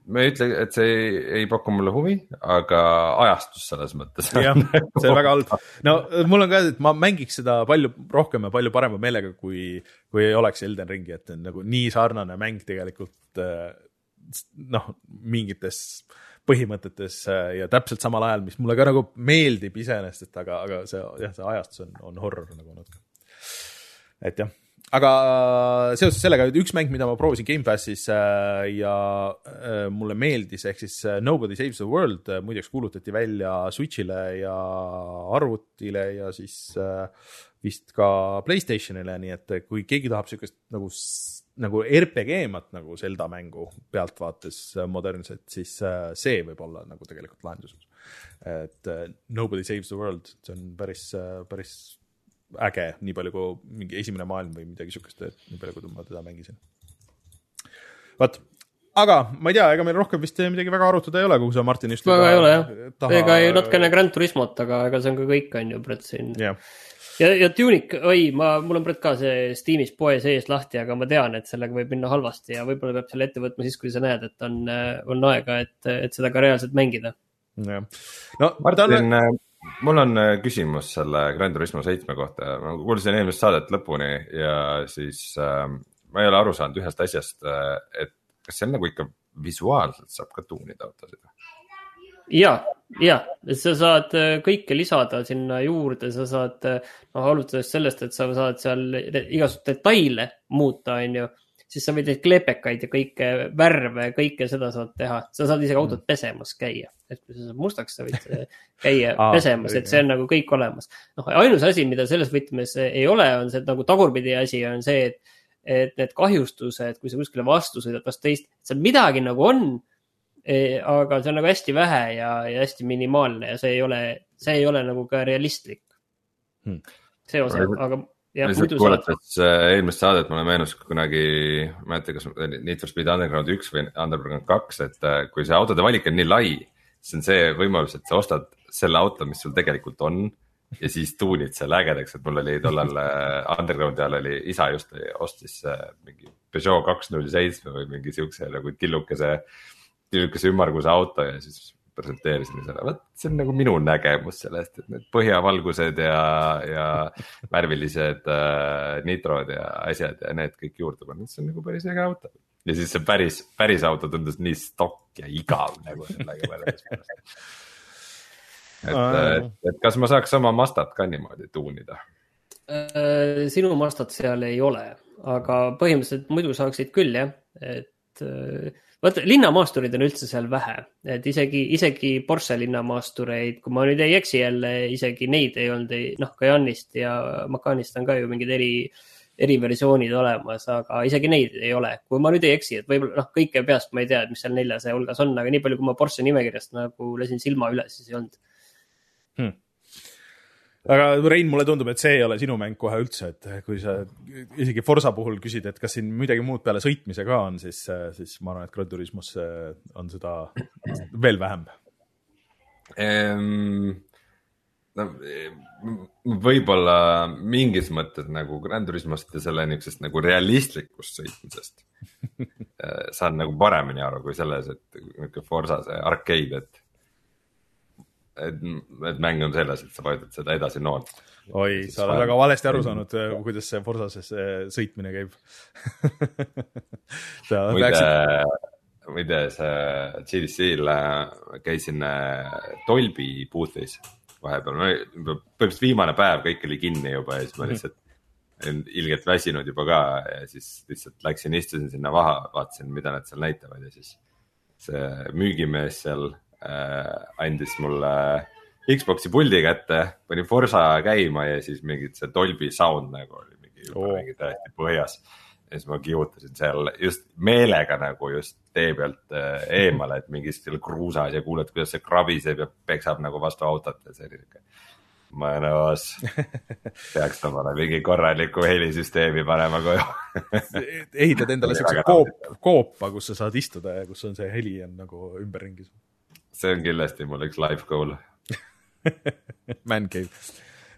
ma ei ütle, et see ei, ei paku mulle huvi, aga ajastus selles mõttes. jah, see on väga halb. No mul on ka, et ma mängiks seda palju rohkem ja palju parema meelega, kui, kui ei oleks Elden Ringi, et on nagu nii sarnane mäng tegelikult noh, mingites põhimõtetes ja täpselt samal ajal, mis mulle ka nagu meeldib iseenesest, et aga, aga see, jah, see ajastus on, on horror nagu natuke. Et jah, aga seoses sellega, üks mäng, mida ma proovisin Game Passis ja mulle meeldis, ehk siis Nobody Saves the World, muideks kuulutati välja Switchile ja arvutile ja siis vist ka PlayStationile, nii et kui keegi tahab sellist nagu nagu R P G-mat nagu Zelda mängu pealtvaates modernset, siis see võib olla nagu tegelikult lahendus. Et Nobody Saves the World, see on päris, päris äge, nii palju kui mingi esimene maailm või midagi sükest, et nii palju kui ma teda mängisin. Vaat, aga ma ei tea, ega meil rohkem vist midagi väga arutada ei ole, kuhu sa Martin just väga ei ole, jah. Taha... Ega ei natkene Gran Turismot, aga ega see on ka kõik, on ju, Brett siin. Yeah. Ja, ja Tunic, oi, ma, mul on Brett ka see Steamis poe sees lahti, aga ma tean, et sellega võib minna halvasti ja võib-olla peab selle ette võtma siis, kui sa näed, et on, on aega, et, et seda ka reaalselt mängida. Ja. No, Martin, on... mul on küsimus selle Gran Turismo seitsme kohta. Ma kuulsin eelmist saadet lõpuni ja siis äh, ma ei ole aru saanud ühest asjast, et kas see on nagu ikka visuaalselt saab ka tuunida autosid? Ja, ja, sa saad kõike lisada sinna juurde, sa saad, noh, alustades sellest, et sa saad seal igasugust detaile muuta, on ju, siis sa võid klepekaid ja kõike värve, kõike seda saad teha. Sa saad isegi autot pesemas käia, et kui sa saad mustaks, sa võid käia pesemas, et see on nagu kõik olemas. Noh, ainus asi, mida selles võtmes ei ole, on see, et nagu tagurpidi asi on see, et, et need kahjustused, kui sa kuskile vastu sõidad vast teist, seal midagi nagu on, aga see on nagu hästi vähe ja, ja hästi minimaalne ja see ei ole, see ei ole nagu ka realistlik. Hmm. See osa, aga ja muidu kuulates saad... eelmist saadet mulle meenus kunagi, ma ei tea, kas Need for Speed Underground üks või Underground kaks, et kui see autode valik on nii lai, siis on see võimalus, et sa ostad selle auto, mis sul tegelikult on ja siis tuunid selle ägedaks, et mul oli tollal Undergroundi ajal oli isa just ostis mingi Peugeot kaks null seitse või mingi siukse nagu tillukese tillukese ümmarguse auto ja siis presenteerisin selle. Võt, see on nagu minu nägemus sellest, et need põhjavalgused ja, ja värvilised äh, nitrod ja asjad ja need kõik juurde pannud. See on nagu päris äge auto. Ja siis see päris, päris auto tundus nii stokk ja igav nagu sellega võrreldes. Et, et, et kas ma saaks oma Mazdat ka niimoodi tuunida? Sinu Mazdat seal ei ole, aga põhimõtteliselt muidu saaksid küll, jah. Et vaata, linnamaasturid on üldse seal vähe, et isegi, isegi Porsche linnamaastureid, kui ma nüüd ei eksi jälle, isegi neid ei olnud, noh, Cayenne'ist ja Macanist on ka ju mingid eri, eri versioonid olemas, aga isegi neid ei ole. Kui ma nüüd ei eksi, et võib-olla, noh, kõike peast ma ei tea, et mis seal neljasaja hulgas on, aga nii palju, kui ma Porsche nimekirjast nagu lesin silma üle, siis ei olnud. Hmm. Aga Rein, mulle tundub, et see ei ole sinu mäng kohe üldse, et kui sa isegi Forza puhul küsid, et kas siin midagi muud peale sõitmise ka on, siis, siis ma arvan, et Gran Turismos on seda veel vähem. Ehm, no, võib-olla mingis mõttes nagu Gran Turismost ja selle niisugusest nagu realistlikust sõitmisest saan nagu paremini aru kui selles, et Forza see arcade, et Et, et mäng on selles, et sa vajutad seda edasi noort. Oi, sa oled väga valesti aru saanud, kuidas see Forzases sõitmine käib. Muide, muide see G D C-l käisin Dolby booth'is vahepeal. Põhimõtteliselt viimane päev kõik oli kinni juba ja siis ma lihtsalt ilgelt väsinud juba ka ja siis lihtsalt läksin, istusin sinna vaha, vaatasin, mida nad seal näitavad ja siis see müügimees seal andis mulle Xboxi puldi kätte, panin Forza käima ja siis mingid see Dolby sound nagu oli mingi, oh. mingi täiesti põhjas. Ja siis ma kiutasin seal just meelega nagu just tee pealt eemale, et mingis seal kruusas ja kuuled, kuidas see kraviseb ja peksab nagu vastu autot ja see oli niisugune mõnus. Peaks omale mingi korraliku helisüsteemi panema koju. Ehitad endale siukse koop, koopa, kus sa saad istuda ja kus on see heli on nagu ümberringis. see on kindlasti mul üks life goal. Man cave,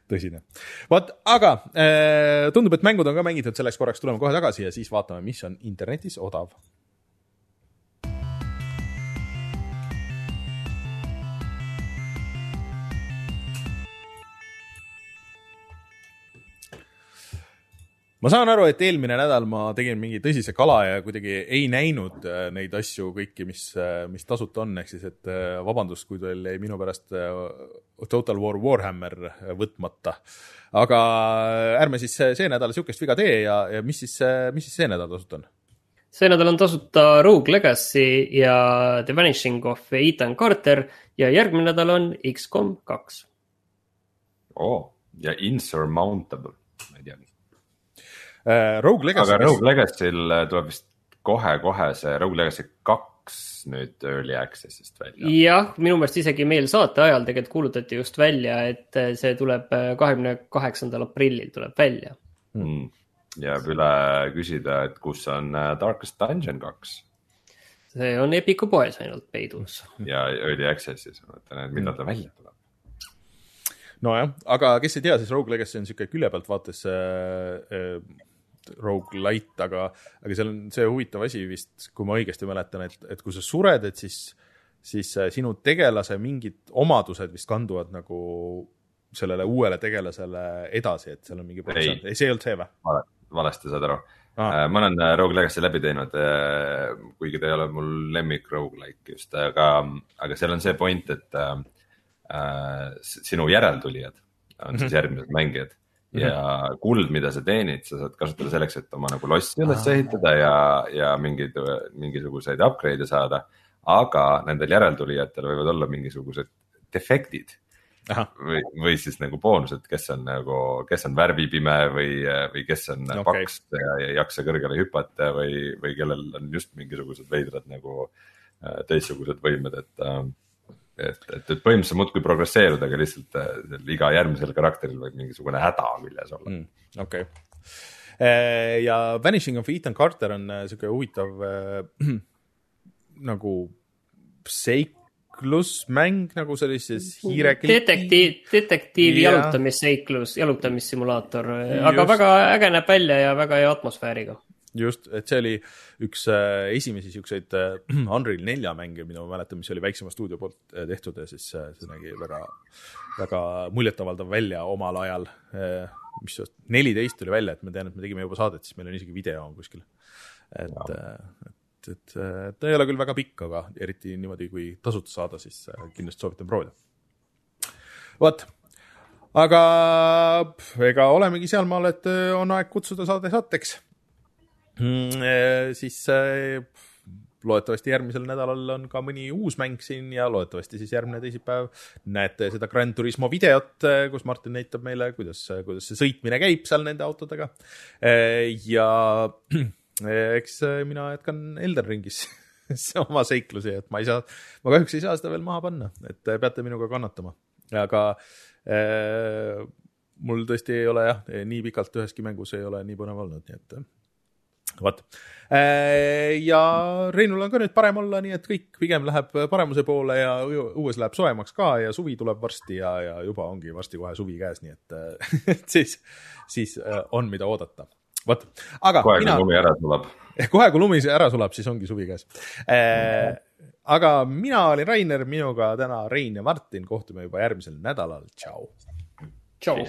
tõsine. Vaat, aga äh, tundub, et mängud on ka mängitud, selleks korraks tuleme kohe tagasi ja siis vaatame, mis on internetis odav. Ma saan aru, et eelmine nädal ma tegin mingi tõsise kala ja kuidagi ei näinud neid asju kõiki, mis, mis tasuta on, ehk siis, et vabandust, kui teil jäi minu pärast Total War Warhammer võtmata. Aga ärme siis see nädal siukest viga tee ja, ja mis, siis, mis siis see nädal tasuta on? See nädal on tasuta Rogue Legacy ja The Vanishing of Ethan Carter ja järgmine nädal on X COM kaks. Oh, ja Insurmountable, ma ei tea. Uh, Rogue Legacy. Aga Rogue Legacy'l tuleb vist kohe-kohe see Rogue Legacy kaks nüüd Early Access'ist välja. Jah, minu meelest isegi meil saate ajal tegelikult kuulutati just välja, et see tuleb kahekümne kaheksandal aprillil tuleb välja. Mm. Jääb üle küsida, et kus on Darkest Dungeon kaks. See on Epiku poes ainult peidus. Ja Early Access'is, ma mõtlen, et mida ta välja tuleb. No jah, aga kes ei tea, siis Rogue Legacy on siuke külje pealt vaates äh, äh, Rogue Light, aga, aga seal on see huvitav asi vist, kui ma õigesti mäletan, et, et kui sa sured, et siis, siis sinu tegelase mingid omadused vist kanduvad nagu sellele uuele tegelasele edasi, et seal on mingi protsent. Ei, see ei olnud see või? Vale, valesti saad aru. Ah. Ma olen Rogue Legacy läbi teinud, kuigi ta ei ole mul lemmik roguelike just, aga, aga seal on see point, et äh, sinu järeltulijad on siis järgmised mängijad. Ja kuld, mida sa teenid, sa saad kasutada selleks, et oma nagu lossi üles ehitada ja, ja mingid, mingisuguseid upgrade'e saada, aga nendel järeltulijatel võivad olla mingisugused defektid või, või siis nagu boonused, kes on nagu, kes on värvipime või, või kes on okay. paks ja ei jaksa kõrgele hüpata või, või kellel on just mingisugused veidrad nagu teistsugused võimed, et Et, et, et põhimõtteliselt muudkui progresseeruda, aga lihtsalt iga järgmisel karakteril võib mingisugune häda küljes olla. Mm, okay. Ja Vanishing of Ethan Carter on siuke huvitav äh, nagu seiklusmäng, nagu sellises hiirekliki. Detektiiv, detektiivi yeah. jalutamiseiklus, jalutamissimulaator, aga Just. Väga äge näeb välja ja väga hea atmosfääriga. Just, et see oli üks äh, esimesi siukseid äh, Unreal nelja mänge, mida ma mäletan, mis oli väiksema stuudio poolt äh, tehtud ja siis äh, see nägi väga, väga muljetavaldav välja omal ajal, äh, mis neliteist tuli välja, et ma tean, et me tegime juba saadet, siis meil on isegi video on kuskil. Et, äh, et, et äh, ta ei ole küll väga pikk, aga eriti niimoodi, kui tasuta saada, siis äh, kindlasti soovitan proovida. Vot, aga ega olemegi sealmaal, et on aeg kutsuda saade saateks. Mm, siis äh, loodetavasti järgmisel nädalal on ka mõni uus mäng siin ja loodetavasti siis järgmine teisipäev näete seda Gran Turismo videot, kus Martin näitab meile, kuidas, kuidas see sõitmine käib seal nende autodega. Ja eks mina jätkan Elden Ringis oma seiklusi, et ma ei saa, ma kahjuks ei saa seda veel maha panna, et peate minuga kannatama. Aga äh, mul tõesti ei ole jah, nii pikalt üheski mängus ei ole nii põnev olnud, nii et Vaat. Ja Reinul on ka nüüd parem olla, nii et kõik pigem läheb paremuse poole ja uues läheb soemaks ka ja suvi tuleb varsti ja, ja juba ongi varsti kohe suvi käes, nii et, et siis, siis on mida oodata. Vaat. Aga kohe mina, kui lumi ära sulab. Kohe kui lumi ära sulab, siis ongi suvi käes. Aga mina olin Rainer, minuga täna Rein ja Martin, kohtume juba järgmisel nädalal. Tšau. Tšau.